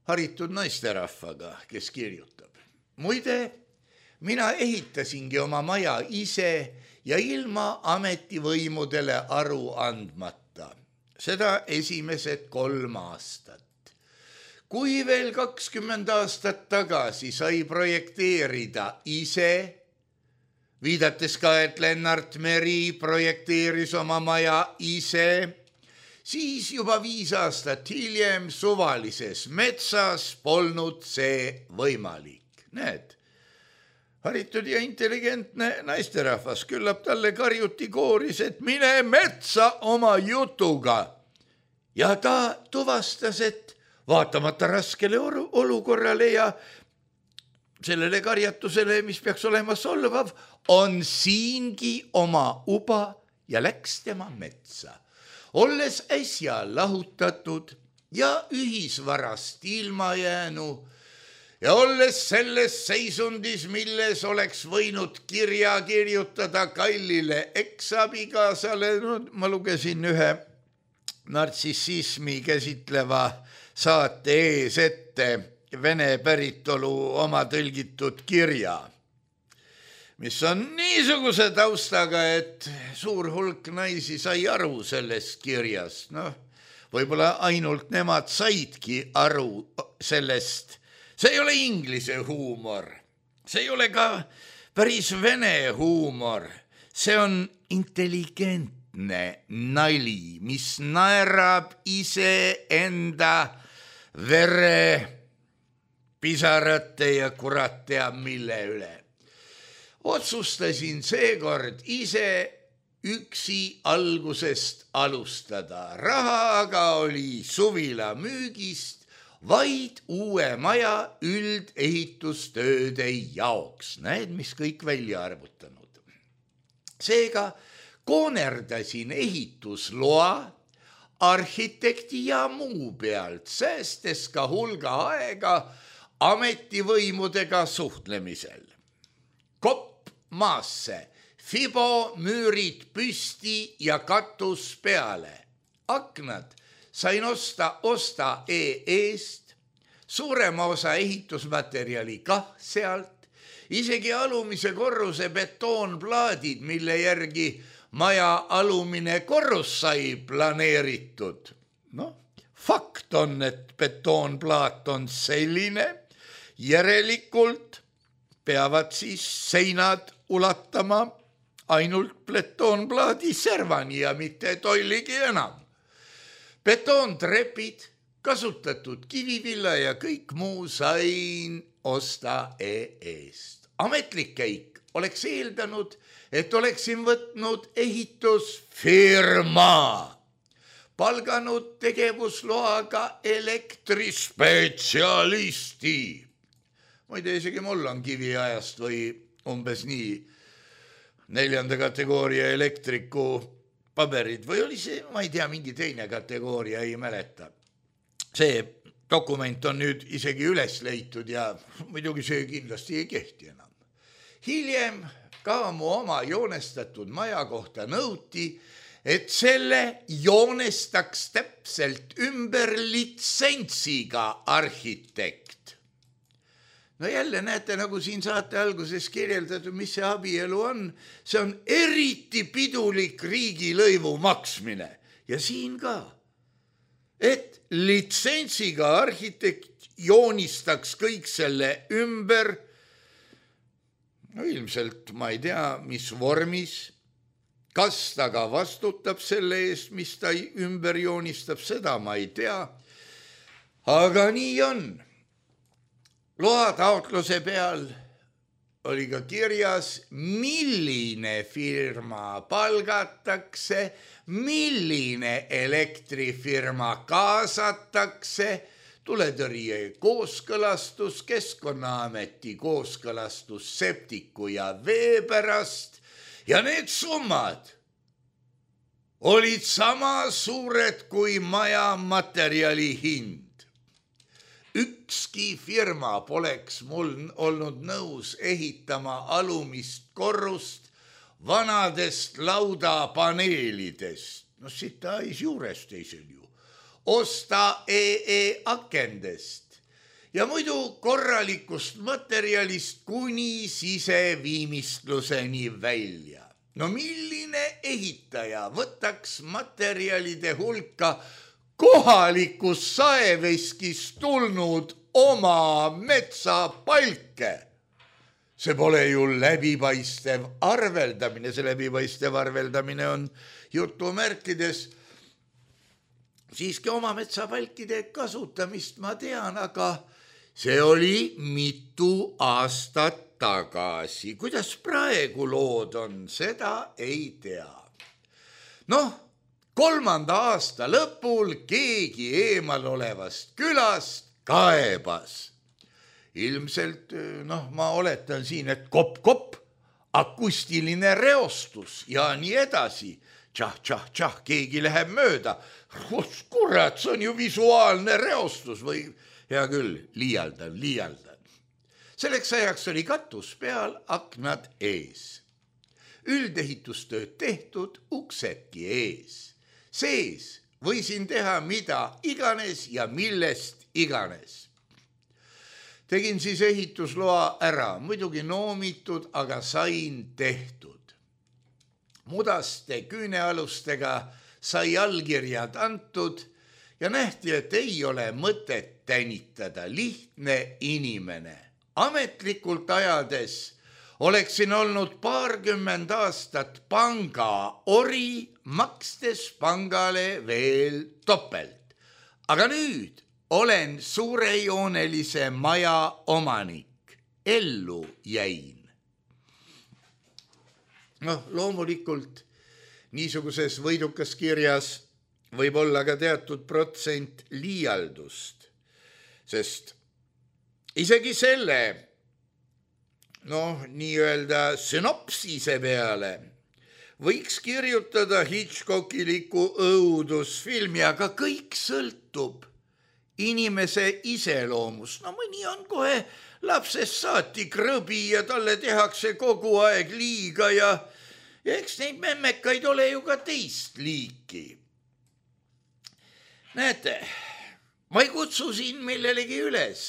haritud naisterahvaga, kes kirjutab. Muide, mina ehitasingi oma maja ise ja ilma ametivõimudele aru andmata. Seda esimesed kolm aastat. Kui veel kakskümmend aastat tagasi sai projekteerida ise, viidates ka, et Lennart Meri projekteeris oma maja ise, siis juba viis aastat hiljem suvalises metsas polnud see võimalik. Näed, haritud ja intelligentne naisterahvas, küllap talle karjuti kooris, et mine metsa oma jutuga. Ja ta tuvastas, et vaatamata raskele olukorrale ja sellele karjatusele, mis peaks olema solvav, on siingi oma uba ja läks tema metsa. Olles äsja lahutatud ja ühisvarast ilma jäänu ja olles selles seisundis, milles oleks võinud kirja kirjutada kallile eksabigaasale, no, ma lugesin ühe nartsissismi käsitleva saate ees ette vene päritolu oma tõlgitud kirja, mis on niisuguse taustaga, et suur hulk naisi sai aru sellest kirjast. No, võib-olla ainult nemad saidki aru sellest. See ei ole inglise huumor. See ei ole ka päris vene huumor. See on intelligentne nali, mis naerab ise enda vere, pisarate ja kurat teab mille üle. Otsustasin seekord ise üksi algusest alustada. Raha aga oli suvila müügist vaid uue maja üldehitustööde jaoks. Näed, mis kõik välja arvutanud. Seega koonerdasin ehitusloa, arhitekti ja muu pealt, säästes ka hulga aega ametivõimudega suhtlemisel. Kopp maasse, fibo müürid püsti ja katus peale. Aknad sain osta osta e-eest, suurema osa ehitusmaterjali kah sealt, isegi alumise korruse betoonplaadid, mille järgi maja alumine korrus sai planeeritud. No, fakt on, et betoonplaat on selline, järelikult peavad siis seinad ulatama ainult betoonplaadi servani ja mitte tolligi enam. Betoontrepid, kasutatud kivivilla ja kõik muu sain osta e-eest. Ametlik käik oleks eeldanud, et oleksin võtnud ehitusfirma, palganud tegevusloaga elektrispetsialisti. Muide, isegi mul on kiviajast või umbes nii neljanda kategooria elektriku paberid või oli see, ma ei tea, mingi teine kategooria, ei mäleta. See dokument on nüüd isegi üles leitud ja muidugi see kindlasti ei kehti enam. Hiljem ka mu oma joonestatud maja kohta nõuti, et selle joonestaks täpselt ümber litsentsiga arhitekt. No jälle näete, nagu siin saate alguses kirjeldatud, mis see abielu on. See on eriti pidulik riigilõivu maksmine. Ja siin ka, et litsentsiga arhitekt joonistaks kõik selle ümber. No ilmselt ma ei tea, mis vormis. Kas ta ka vastutab selle eest, mis ta ümber joonistab, seda ma ei tea. Aga nii on. Loa taotluse peal oli ka kirjas, milline firma palgatakse, milline elektrifirma kaasatakse, tuletõrje kooskõlastus, Keskkonnaameti kooskõlastus septiku ja vee pärast. Ja need summad olid sama suured kui maja materjali hind. Ükski firma poleks mul olnud nõus ehitama alumist korrust vanadest laudapaneelidest. No sita ais juures teisel ju. Osta E E akendest. Ja muidu korralikust materjalist kuni siseviimistluseni välja. No milline ehitaja võtaks materjalide hulka kohalikus saeveskist tulnud oma metsapalke? See pole ju läbipaistev arveldamine, see läbipaistev arveldamine on jutumärkides. Siiski oma metsapalkide kasutamist ma tean, aga see oli mitu aastat tagasi. Kuidas praegu lood on, seda ei tea. Noh, kolmanda aasta lõpul keegi eemal olevast külast kaebas. Ilmselt, noh, ma oletan siin, et kopp-kopp, akustiline reostus ja nii edasi. Tšah, tšah, tšah, keegi läheb mööda. Kurat, see on ju visuaalne reostus või hea küll, liialdan, liialdan. Selleks ajaks oli katus peal, aknad ees. Üldehitustööd tehtud, uksedki ees. Sees võisin teha mida iganes ja millest iganes. Tegin siis ehitusloa ära, muidugi noomitud, aga sain tehtud. Mudaste küünealustega sai allkirjad antud ja nähti, et ei ole mõtet tänitada, lihtne inimene. Ametlikult ajades oleksin olnud paarkümmend aastat panga ori, makstes pangale veel topelt. Aga nüüd olen suurejoonelise maja omanik, ellu jäin. noh, loomulikult niisuguses võidukas kirjas võib olla ka teatud protsent liialdust, sest isegi selle, noh, nii-öelda sünopsise peale võiks kirjutada Hitchcockiliku õudusfilmi, aga kõik sõltub inimese iseloomust. No mõni on kohe lapsest saati krõbi ja talle tehakse kogu aeg liiga ja, ja eks neid memmekaid ole ju ka teist liiki. Näete, ma ei kutsu siin millelegi üles,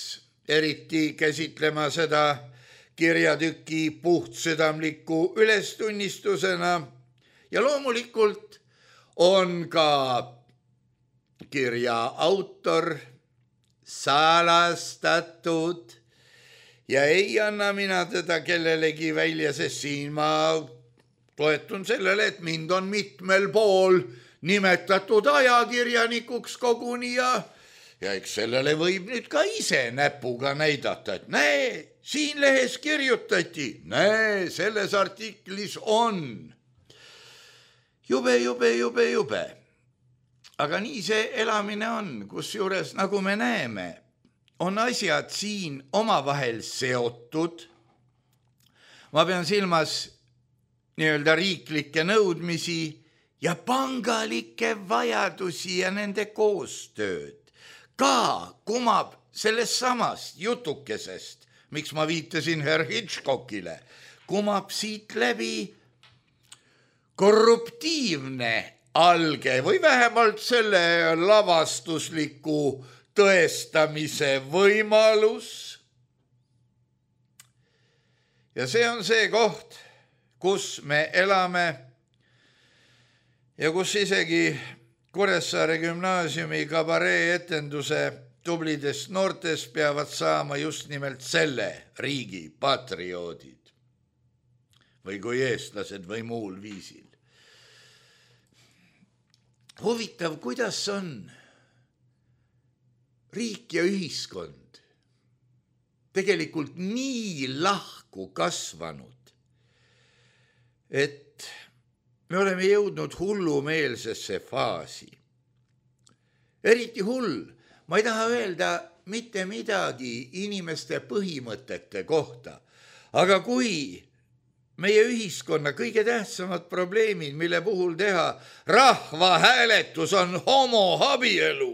eriti käsitlema seda kirjatüki puhtsüdamliku ülestunnistusena ja loomulikult on ka kirja autor salastatud ja ei anna mina teda kellelegi välja, sest siin ma toetun sellele, et mind on mitmel pool nimetatud ajakirjanikuks koguni ja, ja eks sellele võib nüüd ka ise näpuga näidata, et näe, siin lehes kirjutati, näe, selles artiklis on. Jube, jube, jube, jube. Aga nii see elamine on, kusjuures nagu me näeme, on asjad siin omavahel seotud. Ma pean silmas nii-öelda riiklikke nõudmisi ja pangalikke vajadusi ja nende koostööd. Ka kumab sellest samast jutukesest, miks ma viitasin Herr Hitchcockile, kumab siit läbi korruptiivne alge või vähemalt selle lavastusliku tõestamise võimalus. Ja see on see koht, kus me elame ja kus isegi Kuressaare gümnaasiumi kabaree etenduse tublidest noortest peavad saama just nimelt selle riigi patrioodid või kui eestlased või muul viisil. Huvitav, kuidas on riik ja ühiskond tegelikult nii lahku kasvanud, et me oleme jõudnud hullumeelsesse faasi. Eriti hull, ma ei taha öelda mitte midagi inimeste põhimõtete kohta, aga kui meie ühiskonna kõige tähtsamad probleemid, mille puhul teha rahvahääletus on homoabielu,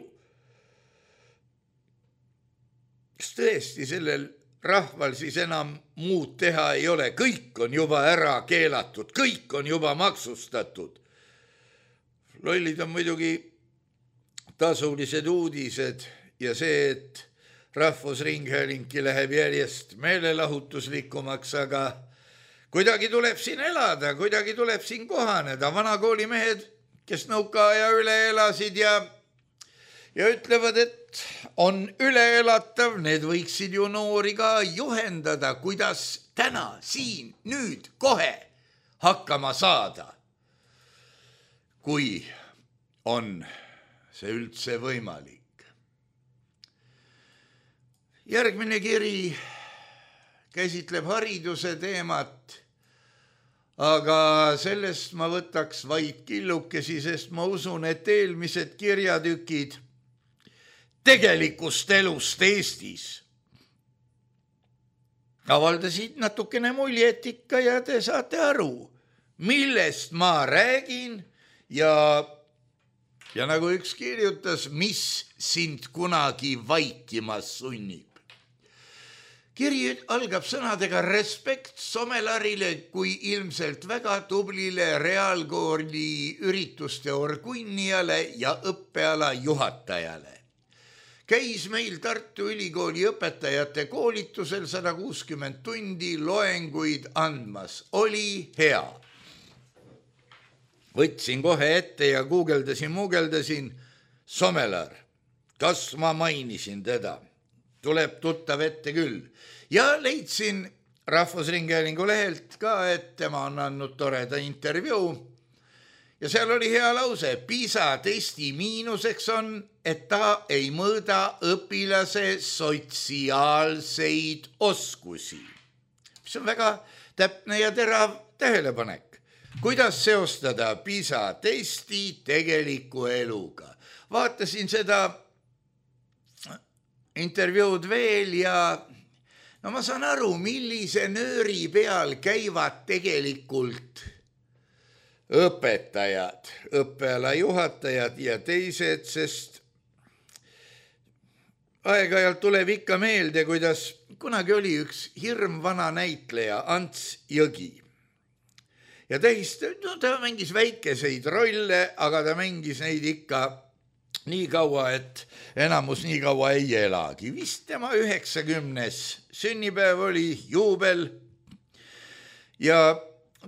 kas tõesti sellel rahval siis enam muud teha ei ole, kõik on juba ära keelatud, kõik on juba maksustatud. Lollid on muidugi tasulised uudised ja see, et Rahvusringhäälingi läheb järjest meelelahutuslikumaks, aga kuidagi tuleb siin elada, kuidagi tuleb siin kohaneda. Vanakoolimehed, kes nõukaaja üle elasid ja, ja ütlevad, et on üleelatav, need võiksid ju noori ka juhendada, kuidas täna, siin, nüüd, kohe hakkama saada. Kui on see üldse võimalik. Järgmine kiri käsitleb hariduse teemat, aga sellest ma võtaks vaid killukesi, sest ma usun, et eelmised kirjatükid tegelikust elust Eestis avaldasid natukene muljet ikka ja te saate aru, millest ma räägin ja, ja nagu üks kirjutas, mis sind kunagi vaikimas sunnib. Kiri algab sõnadega respekt Somelarile kui ilmselt väga tublile reaalkooli ürituste orgunnijale ja õppeala juhatajale. Käis meil Tartu Ülikooli õpetajate koolitusel sada kuuskümmend tundi loenguid andmas. Oli hea. Võtsin kohe ette ja guugeldasin, muugeldasin Somelar. Kas ma mainisin teda? Tuleb tuttav ette küll. Ja leidsin Rahvusringhäälingu lehelt ka, et tema on andnud toreda intervjuu. Ja seal oli hea lause. PISA testi miinuseks on, et ta ei mõõda õpilase sotsiaalseid oskusi. Mis on väga täpne ja terav tähelepanek. Kuidas seostada PISA testi tegeliku eluga? Vaatasin seda intervjuud veel ja no ma saan aru, millise nööri peal käivad tegelikult õpetajad, õppeala juhatajad ja teised, sest aeg-ajalt tuleb ikka meelde, kuidas kunagi oli üks hirmvana näitleja Ants Jõgi. Ja teist, no ta mängis väikeseid rolle, aga ta mängis neid ikka nii kaua, et enamus nii kaua ei elagi. Vist tema üheksakümnes sünnipäev oli juubel ja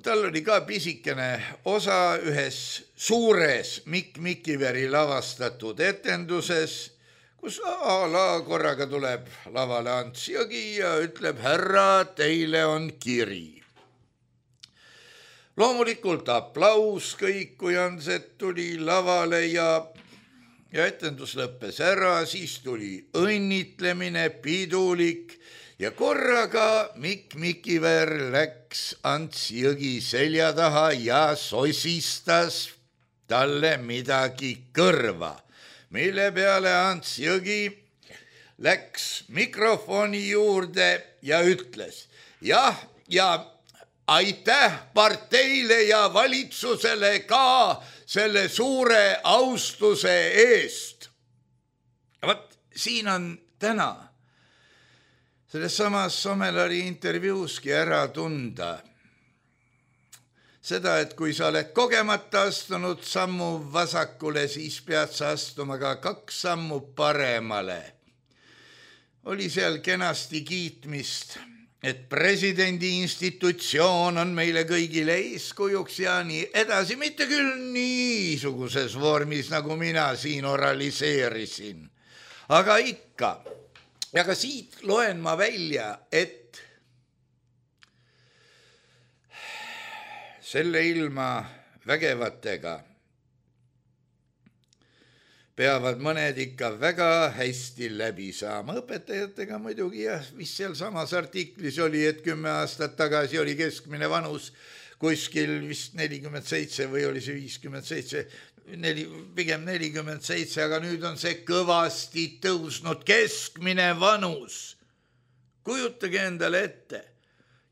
tal oli ka pisikene osa ühes suures Mikk Mikiveri lavastatud etenduses, kus ala korraga tuleb lavale Ants Jõgi ja ütleb, härra, teile on kiri. Loomulikult aplaus kõik, kui Anset tuli lavale ja Ja etendus lõppes ära, siis tuli õnnitlemine, pidulik ja korraga Mikk Mikiver läks Ants Jõgi selja taha ja sosistas talle midagi kõrva, mille peale Ants Jõgi läks mikrofoni juurde ja ütles, jah, ja aitäh parteile ja valitsusele ka selle suure austuse eest. Vat, siin on täna selles samas Somelari intervjuuski ära tunda, seda, et kui sa oled kogemata astunud sammu vasakule, siis pead sa astuma ka kaks sammu paremale. Oli seal kenasti kiitmist, et presidendi institutsioon on meile kõigile eeskujuks ja nii edasi, mitte küll niisuguses vormis, nagu mina siin oraliseerisin, aga ikka. Ja ka siit loen ma välja, et selle ilma vägevatega peavad mõned ikka väga hästi läbi saama. Õpetajatega muidugi jah, vist seal samas artiklis oli, et kümme aastat tagasi oli keskmine vanus kuskil vist nelikümmend seitse või oli see viiskümmend seitse, neli, pigem nelikümmend seitse, aga nüüd on see kõvasti tõusnud keskmine vanus. Kujutage endale ette.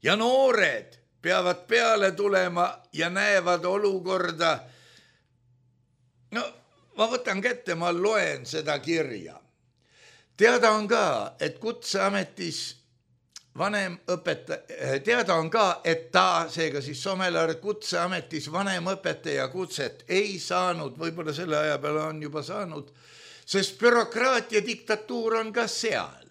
Ja noored peavad peale tulema ja näevad olukorda. No, ma võtan kätte, ma loen seda kirja. Teada on ka, et kutseametis vanem õpetaja, teada on ka, et ta, seega siis Somelar kutseametis vanem õpetaja kutset ei saanud, võib-olla selle aja peale on juba saanud, sest bürokraatia diktatuur on ka seal.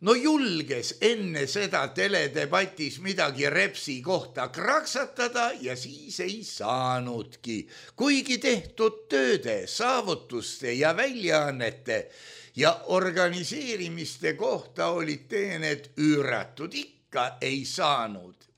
No julges enne seda teledebatis midagi Repsi kohta kraksatada ja siis ei saanudki. Kuigi tehtud tööde, saavutuste ja väljaannete ja organiseerimiste kohta olid teened üüratud, ikka ei saanud.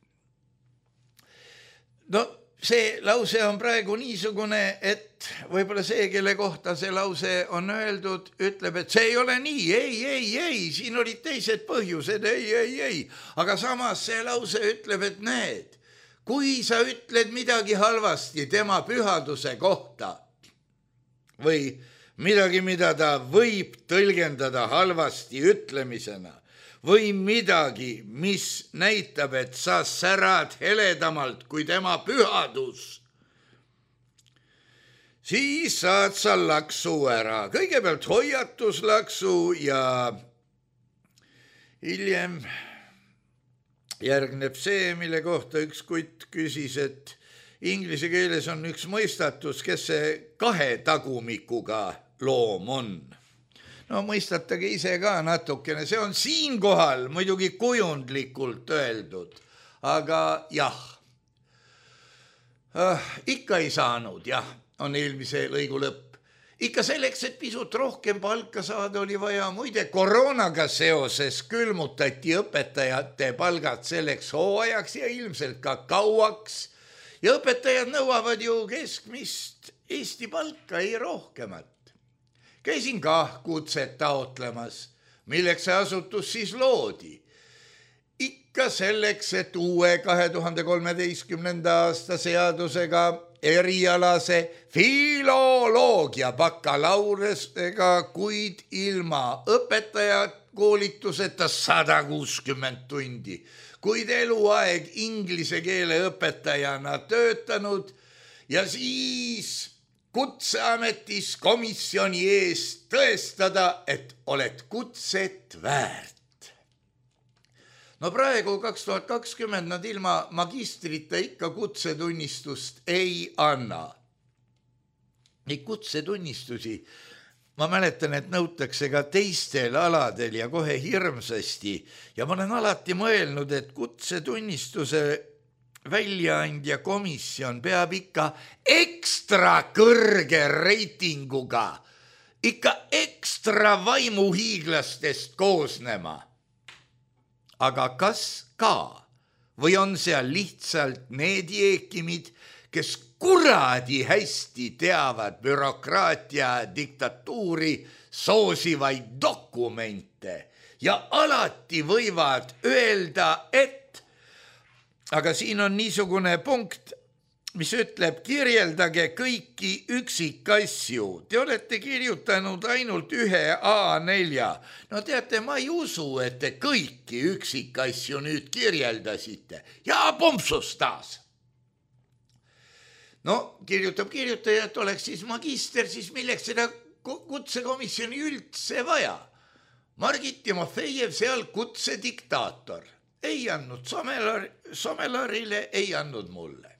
No see lause on praegu niisugune, et võib-olla see, kelle kohta see lause on öeldud, ütleb, et see ei ole nii, ei, ei, ei, siin olid teised põhjused, ei, ei, ei. Aga samas see lause ütleb, et näed, kui sa ütled midagi halvasti tema pühaduse kohta või midagi, mida ta võib tõlgendada halvasti ütlemisena, või midagi, mis näitab, et sa särad heledamalt kui tema pühadus, siis saad sa laksu ära. Kõigepealt hoiatuslaksu ja hiljem järgneb see, mille kohta üks kutt küsis, et inglise keeles on üks mõistatus, kes see kahe tagumikuga loom on. No mõistatage ise ka natukene, see on siinkohal muidugi kujundlikult öeldud, aga jah, äh, ikka ei saanud, jah, on eelmise lõigu lõpp. Ikka selleks, et pisut rohkem palka saada, oli vaja, muide koroonaga seoses külmutati õpetajate palgad selleks hooajaks ja ilmselt ka kauaks ja õpetajad nõuavad ju keskmist Eesti palka, ei rohkemat. Käisin ka kutset taotlemas, milleks see asutus siis loodi. Ikka selleks, et uue kahe tuhande kolmeteistkümnenda aasta seadusega erialase filoloogia bakalaureusega, kuid ilma õpetaja koolituseta sada kuuskümmend tundi, kuid eluaeg inglise keele õpetajana töötanud ja siis kutseametis komisjoni ees tõestada, et oled kutset väärt. No praegu kaks tuhat kakskümmend nad ilma magistrita ikka kutsetunnistust ei anna. Neid kutsetunnistusi, ma mäletan, et nõutakse ka teistel aladel ja kohe hirmsasti ja ma olen alati mõelnud, et kutsetunnistuse väljaandja komisjon peab ikka ekstra kõrge reitinguga, ikka ekstra vaimuhiiglastest koosnema. Aga kas ka või on seal lihtsalt need jeekimid, kes kuradi hästi teavad bürokraatia diktatuuri soosivaid dokumente ja alati võivad öelda, et aga siin on niisugune punkt, mis ütleb, kirjeldage kõiki üksikasju. Te olete kirjutanud ainult ühe A nelja. No teate, ma ei usu, et te kõiki üksikasju nüüd kirjeldasite. Ja pompsus taas. No kirjutab kirjutaja, et oleks siis magister, siis milleks seda kutsekomisjoni üldse vaja. Margit Timofejev seal kutsediktaator. Ei andnud Somelar, Somelarile, ei andnud mulle.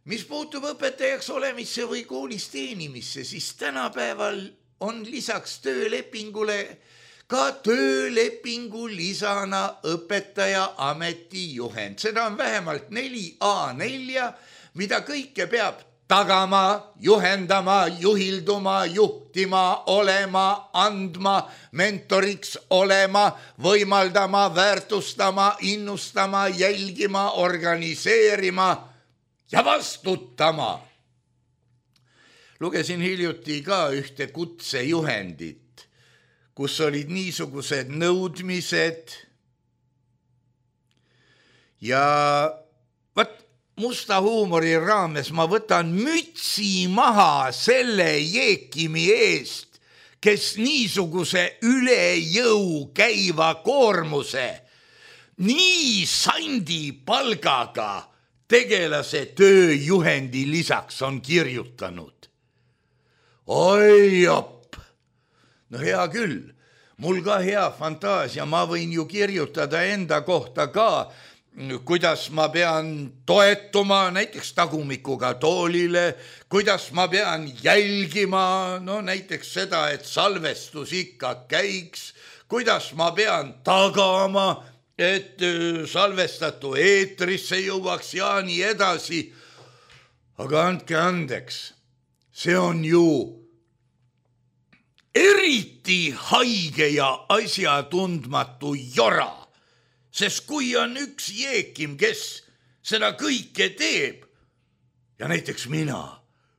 mis puutub õpetajaks olemisse või koolis teenimisse, siis tänapäeval on lisaks töölepingule ka töölepingu lisana õpetaja ametijuhend. Seda on vähemalt neli A neli, mida kõike peab tagama, juhendama, juhilduma, juhtima, olema, andma, mentoriks olema, võimaldama, väärtustama, innustama, jälgima, organiseerima ja vastutama. Lugesin hiljuti ka ühte kutsejuhendit, kus olid niisugused nõudmised ja võt, musta huumori raames ma võtan mütsi maha selle jeekimi eest, kes niisuguse üle jõu käiva koormuse nii sandi palgaga tegelase tööjuhendi lisaks on kirjutanud. Oi jopp! No hea küll, mul ka hea fantaasia, ma võin ju kirjutada enda kohta ka, kuidas ma pean toetuma näiteks tagumikuga toolile, kuidas ma pean jälgima, no näiteks seda, et salvestus ikka käiks, kuidas ma pean tagama, et salvestatu eetrisse jõuaks ja nii edasi. Aga andke andeks, see on ju eriti haige ja asjatundmatu jora. Sest kui on üks jeekim, kes seda kõike teeb ja näiteks mina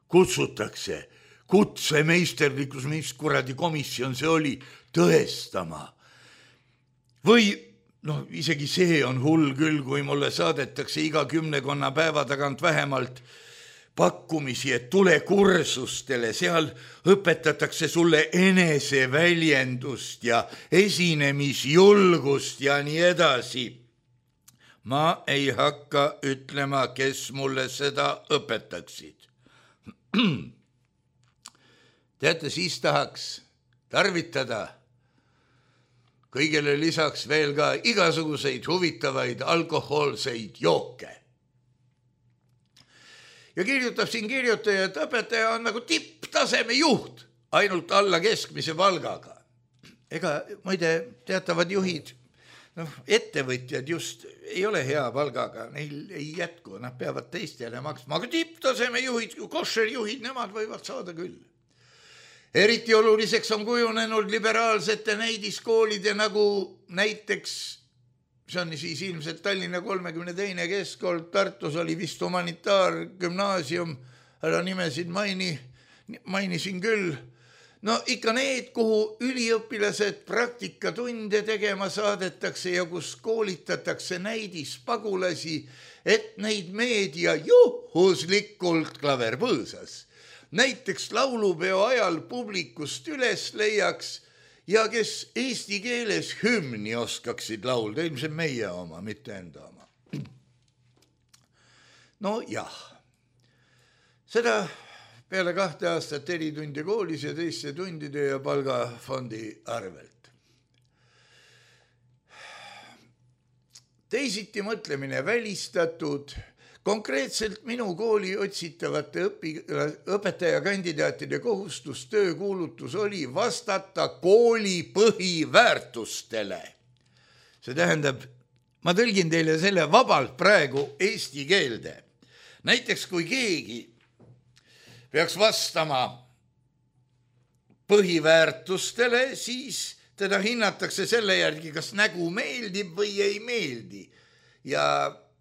kutsutakse kutsemeisterlikus, mis kuradi komisjon see oli, tõestama. Või no isegi see on hull küll, kui mulle saadetakse iga kümnekonna päeva tagant vähemalt pakkumisi, et tule kursustele, seal õpetatakse sulle eneseväljendust ja esinemisjulgust ja nii edasi. Ma ei hakka ütlema, kes mulle seda õpetaksid. Teate, siis tahaks tarvitada kõigele lisaks veel ka igasuguseid huvitavaid alkohoolseid jooke. Ja kirjutab siin kirjutaja, et õpetaja on nagu tipptaseme juht, ainult alla keskmise palgaga. Ega, muide, teatavad juhid, noh, ettevõtjad just ei ole hea palgaga, neil ei jätku, nad peavad teistele maksma, aga tipptaseme juhid, košerjuhid, nemad võivad saada küll. Eriti oluliseks on kujunenud liberaalsete näidiskoolide nagu näiteks, see on siis ilmselt Tallinna kolmekümne teine keskkool, Tartus oli vist humanitaargümnaasium, ära nimesid maini, mainisin küll. No ikka need, kuhu üliõpilased praktikatunde tegema saadetakse ja kus koolitatakse näidispagulasi, et neid meedia juhuslikult klaverpõõsas. Näiteks laulupeo ajal publikust üles leiaks ja kes eesti keeles hümni oskaksid laulda, ilmselt meie oma, mitte enda oma. No jah, seda peale kahte aastat eritundi koolis ja teiste tundide ja palgafondi arvelt. Teisiti mõtlemine välistatud. Konkreetselt minu kooli otsitavate õpi, õpetajakandidaatide kohustus töökuulutus oli vastata kooli põhiväärtustele. See tähendab, ma tõlgin teile selle vabalt praegu eesti keelde. Näiteks kui keegi peaks vastama põhiväärtustele, siis teda hinnatakse selle järgi, kas nägu meeldib või ei meeldi ja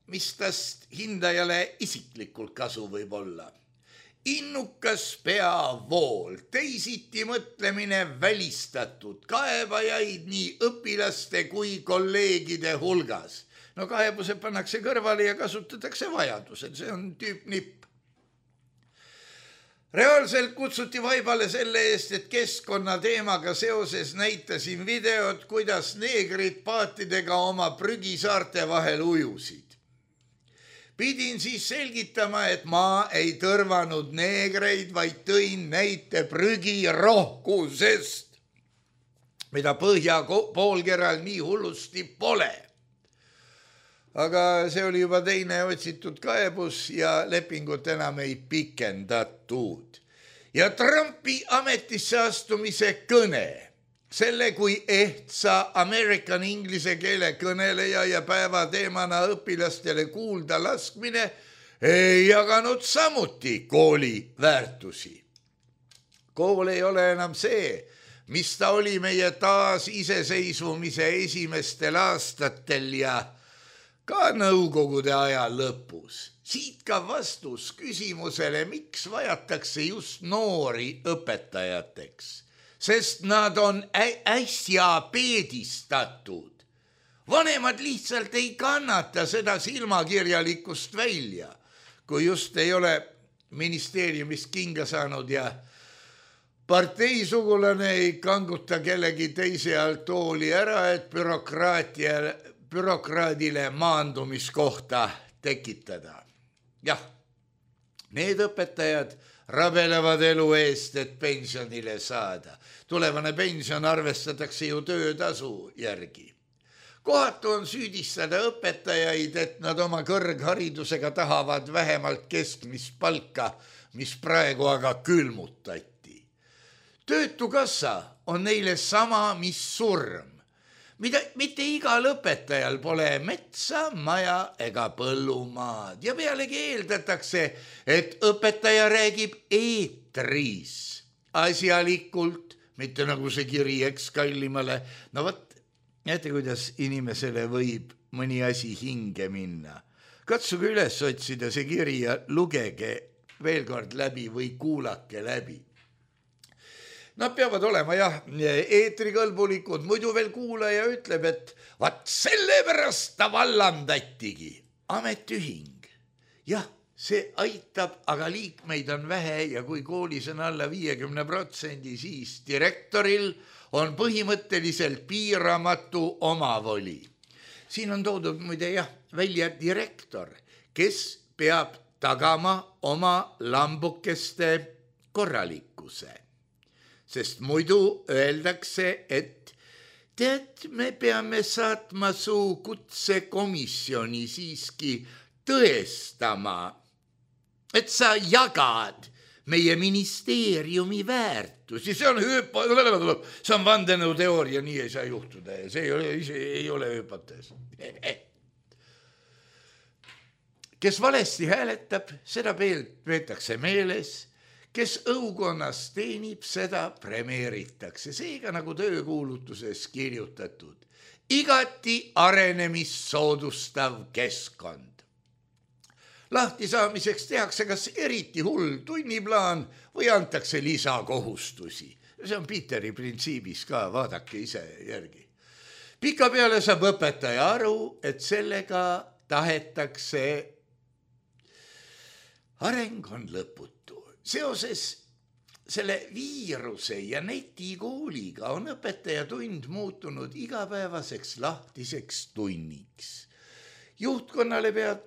mis tast hindajale isiklikult kasu võib olla. Innukas peavool, teisiti mõtlemine välistatud, kaebajaid nii õpilaste kui kolleegide hulgas. No kaebused pannakse kõrvale ja kasutatakse vajadusel, see on tüüp nipp. Reaalselt kutsuti vaibale selle eest, et keskkonna teemaga seoses näitasin videot, kuidas neegrid paatidega oma prügisaarte vahel ujusid. Pidin siis selgitama, et ma ei tõrvanud neegreid, vaid tõin näite prügi rohkusest, mida põhja poolkeral nii hullusti pole. aga see oli juba teine otsitud kaebus ja lepingut enam ei pikendatud. Ja Trumpi ametisse astumise kõne, selle kui ehtsa American inglise keele kõneleja ja päevateemana õpilastele kuulda laskmine ei jaganud samuti kooli väärtusi. Kool ei ole enam see, mis ta oli meie taas iseseisvumise esimestel aastatel ja ka nõukogude aja lõpus. Siit ka vastus küsimusele, miks vajatakse just noori õpetajateks, sest nad on äsja peedistatud. Vanemad lihtsalt ei kannata seda silmakirjalikkust välja, kui just ei ole ministeeriumist kinga saanud ja parteisugulane ei kanguta kellegi teise alt tooli ära, et bürokraadile maandumiskohta tekitada. Jah, need õpetajad rabelevad elu eest, et pensionile saada. Tulevane pension arvestatakse ju töötasu järgi. Kohatu on süüdistada õpetajaid, et nad oma kõrgharidusega tahavad vähemalt keskmist palka, mis praegu aga külmutati. Töötukassa on neile sama, mis surm. Mida, mitte igal õpetajal pole metsa, maja ega põllumaad ja pealegi eeldatakse, et õpetaja räägib eetris asjalikult, mitte nagu see kiri ekskallimale. No võt, näete, kuidas inimesele võib mõni asi hinge minna. Katsuge üles otsida see kiri ja lugege veel kord läbi või kuulake läbi. Nad peavad olema jah, eetrikõlbulikud, muidu veel kuulaja ütleb, et vaat sellepärast ta vallandatigi. Ametiühing. Jah, see aitab, aga liikmeid on vähe ja kui koolis on alla viiekümne protsendi, siis direktoril on põhimõtteliselt piiramatu omavoli. Siin on toodud muide jah, välja direktor, kes peab tagama oma lambukeste korralikkuse. Sest muidu öeldakse, et tead, me peame saatma su kutsekomisjoni siiski tõestama, et sa jagad meie ministeeriumi väärtusi. See on hüpo... see on vandenõuteooria, nii ei saa juhtuda. See ei ole, ei ole hüpotees. Kes valesti hääletab, seda peetakse meeles. Kes õukonnas teenib, seda premeeritakse. Seega nagu töökuulutuses kirjutatud. Igati arenemist soodustav keskkond. Lahtisaamiseks tehakse kas eriti hull tunniplaan või antakse lisakohustusi. See on Peteri printsiibis ka, vaadake ise järgi. Pika peale saab õpetaja aru, et sellega tahetakse areng on lõputu. Seoses selle viiruse ja netikooliga on õpetajatund muutunud igapäevaseks lahtiseks tunniks. Juhtkonnale pead,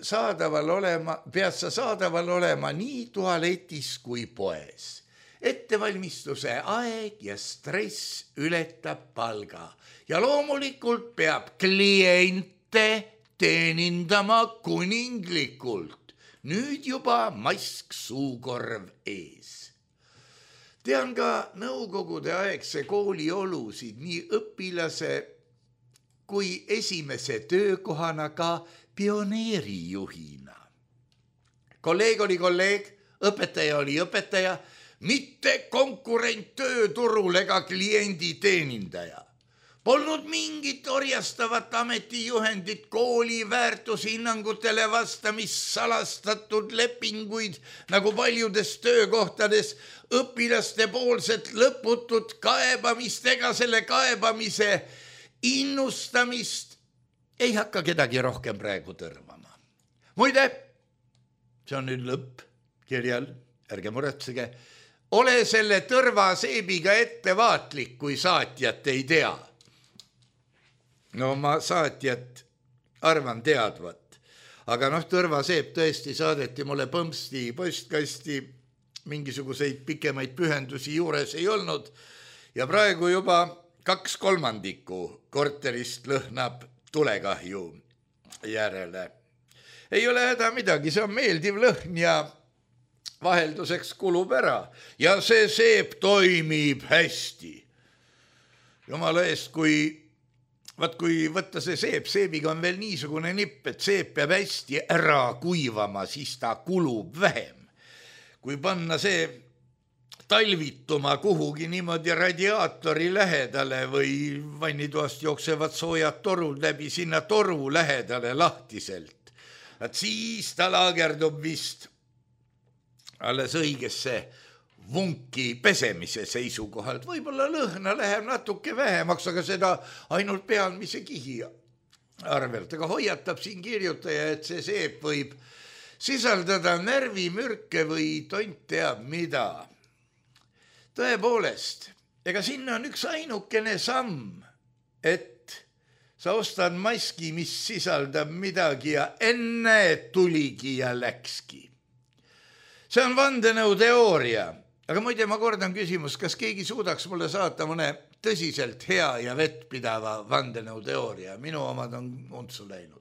saadaval olema, pead sa saadaval olema nii tualetis kui poes. Ettevalmistuse aeg ja stress ületab palga ja loomulikult peab kliente teenindama kuninglikult. Nüüd juba mask suukorv ees. Tean ka nõukogude aegse kooli olusid nii õpilase kui esimese töökohana ka pioneerijuhina. Kolleeg oli kolleeg, õpetaja oli õpetaja, mitte konkurent tööturul ega kliendi teenindaja. Polnud mingit orjastavat ametijuhendit kooli väärtushinnangutele vastamis salastatud lepinguid, nagu paljudes töökohtades õpilaste poolset lõputut kaebamist ega selle kaebamise innustamist ei hakka kedagi rohkem praegu tõrvama. Muide, see on nüüd lõpp kirjal, ärge muretsege, ole selle tõrvaseebiga ettevaatlik, kui saatjat ei tea. No ma saatjat arvan teadvat, aga noh, tõrvaseep tõesti saadeti mulle põmpsti postkasti, mingisuguseid pikemaid pühendusi juures ei olnud ja praegu juba kaks kolmandikku korterist lõhnab tulekahju. järele. Ei ole häda midagi, see on meeldiv lõhn ja vahelduseks kulub ära ja see seep toimib hästi. Jumala eest, kui, vaat kui võtta see seep, seebiga on veel niisugune nipp, et seep peab hästi ära kuivama, siis ta kulub vähem. Kui panna see talvituma kuhugi niimoodi radiaatori lähedale või vannitoast jooksevad soojad torud läbi sinna toru lähedale lahtiselt, et siis ta laagerdub vist alles õigesse vunki pesemise seisukohalt. Võib-olla lõhna läheb natuke vähemaks, aga seda ainult pealmise kihi arvelt. Aga hoiatab siin kirjutaja, et see seep võib sisaldada närvimürke või tont teab mida. Tõepoolest, ega sinna on üks ainukene samm, et sa ostad maski, mis sisaldab midagi ja enne tuligi ja läkski. See on vandenõu teooria, aga muide ma kordan küsimus, kas keegi suudaks mulle saata mõne tõsiselt hea ja vettpidava vandenõu teooria. Minu omad on untsu läinud.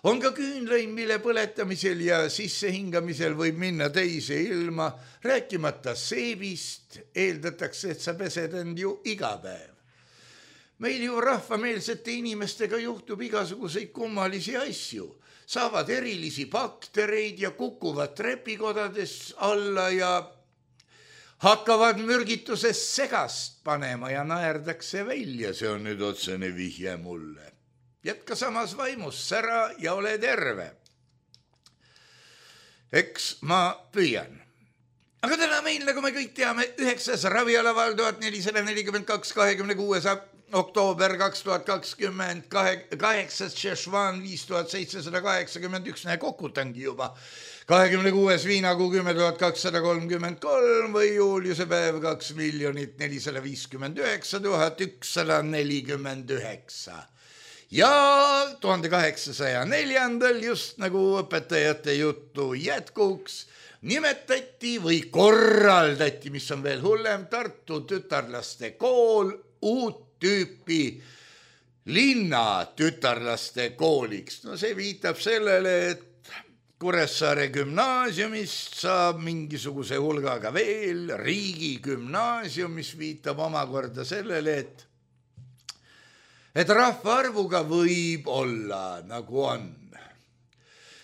On ka küünlõim, mille põletamisel ja sissehingamisel võib minna teise ilma, rääkimata seebist, eeldatakse, et sa pesed end ju iga päev. Meil ju rahvameelsete inimestega juhtub igasuguseid kummalisi asju. Saavad erilisi baktereid ja kukuvad trepikodades alla ja hakkavad mürgituses segast panema ja naerdakse välja. See on nüüd otsene vihje mulle. Jätka samas vaimus, sära ja ole terve. Eks ma püüan. Aga täna meil, nagu me kõik teame, üheksas ravialaval tuhat nelisada nelikümmend kaks kahekümne kuues oktoober kaks tuhat kakskümmend, kaheksas Šešvan viis tuhat seitsesada kaheksakümmend üks, näe kokutangi juba, kahekümne kuues viinakuu kümme tuhat kakssada kolmkümmend kolm või juuliuse päev kaks miljonit nelisada viiskümmend üheksa tuhat ükssada nelikümmend üheksa. Ja tuhande kaheksasaja neljandal, just nagu õpetajate juttu jätkuks, nimetati või korraldati, mis on veel hullem, Tartu tütarlaste kool uut tüüpi linna tütarlaste kooliks. No see viitab sellele, et Kuressaare gümnaasiumist saab mingisuguse hulgaga veel riigi gümnaasium, mis viitab omakorda sellele, et et rahvaarvuga võib olla nagu on.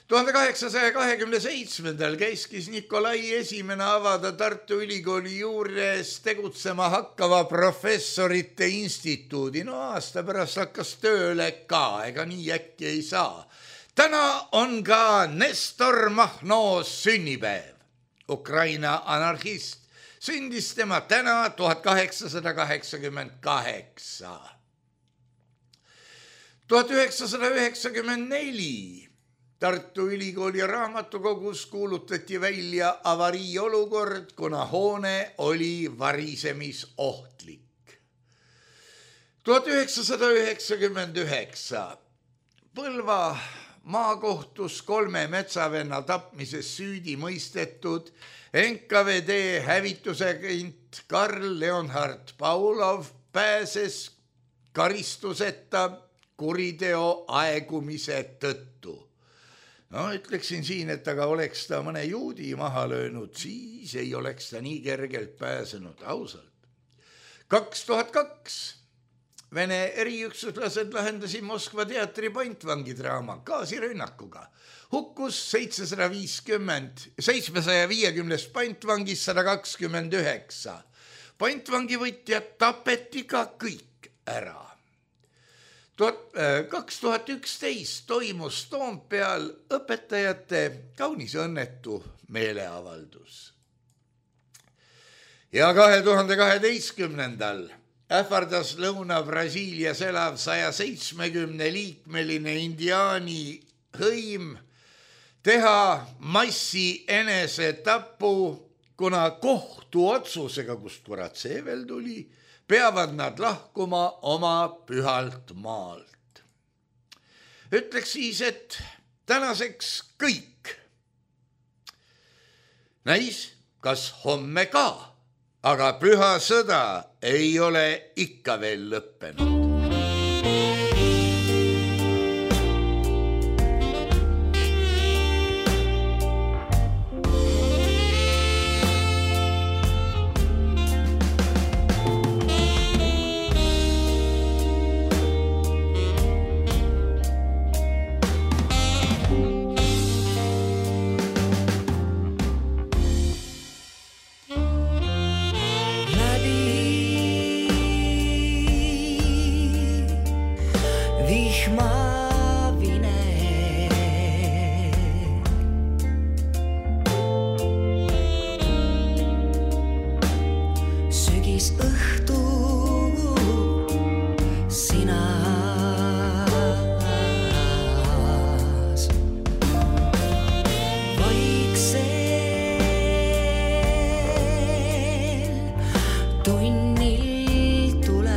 tuhande kaheksasaja kahekümne seitsmendal käiskis Nikolai esimene avada Tartu Ülikooli juures tegutsema hakkava professorite instituudi. No aasta pärast hakkas tööle ka, ega nii äkki ei saa. Täna on ka Nestor Mahno sünnipäev. Ukraina anarhist. Sündis tema täna tuhat kaheksasada kaheksakümmend kaheksa. tuhat üheksasada üheksakümmend neli Tartu Ülikooli raamatukogus kuulutati välja avariiolukord, kuna hoone oli varisemisohtlik. tuhat üheksasada üheksakümmend üheksa Põlva maakohtus kolme metsavenna tapmises süüdi mõistetud N K V D hävitusagent Karl Leonhard Paulov pääses karistuseta kuriteo aegumise tõttu. No ütleksin siin, et aga oleks ta mõne juudi maha löönud, siis ei oleks ta nii kergelt pääsenud, ausalt. kaks tuhat kaks Vene eriüksuslased lahendasid Moskva teatri pantvangidraama gaasirünnakuga. Hukkus seitsesada viiskümmend, seitsmesaja viiekümnest pantvangist sada kakskümmend üheksa. Pantvangivõtjad tapeti ka kõik ära. kaks tuhat üksteist toimus Toompeal õpetajate kaunis õnnetu meeleavaldus. Ja kahe tuhande kaheteistkümnendal ähvardas Lõuna-Brasiilias elav saja seitsmekümne liikmeline indiaani hõim teha massi enesetapu, kuna kohtuotsusega, kust kurat see veel tuli, peavad nad lahkuma oma pühalt maalt. Ütleks siis, et tänaseks kõik. Näis, kas homme ka, aga püha sõda ei ole ikka veel lõppenud. tunnil tuled.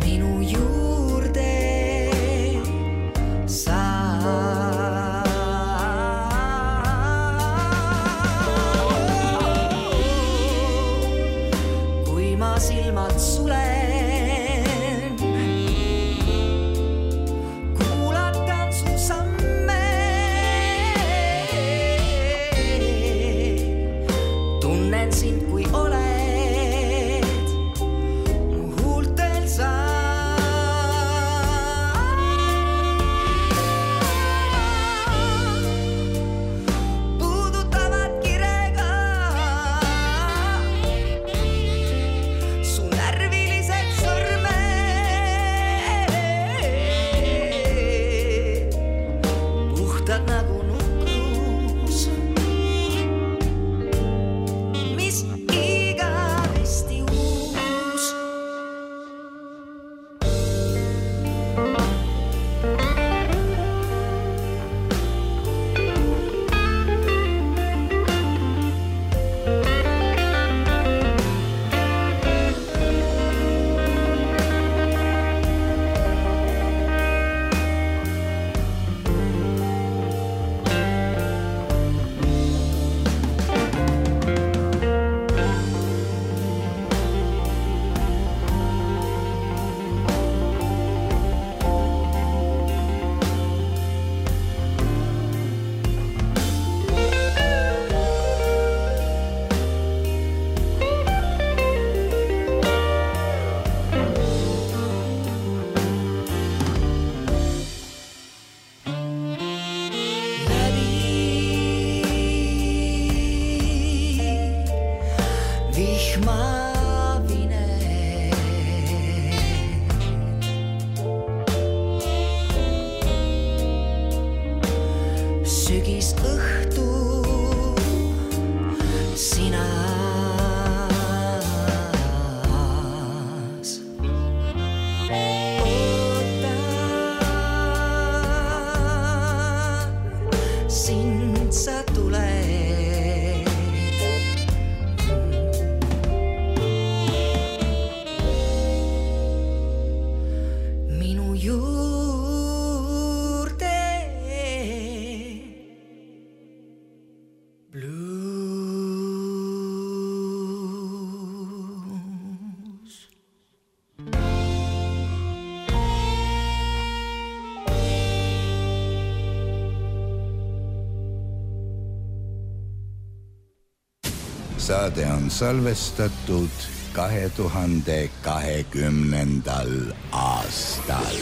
Minu juurde sa. Kui ma silmad sulen, kuulatan su samme, tunnen sind, kui oled mu huultel sa. Puudutavad kirega su närvilised sõrmed, puhtad nagu nukrus, mis igavesti uus. Vihmavine sügisõhtu sinas. Ootan sind, sa tuled. Minu juurde blues. Saade on salvestatud kahe tuhande kahekümnendal aastal.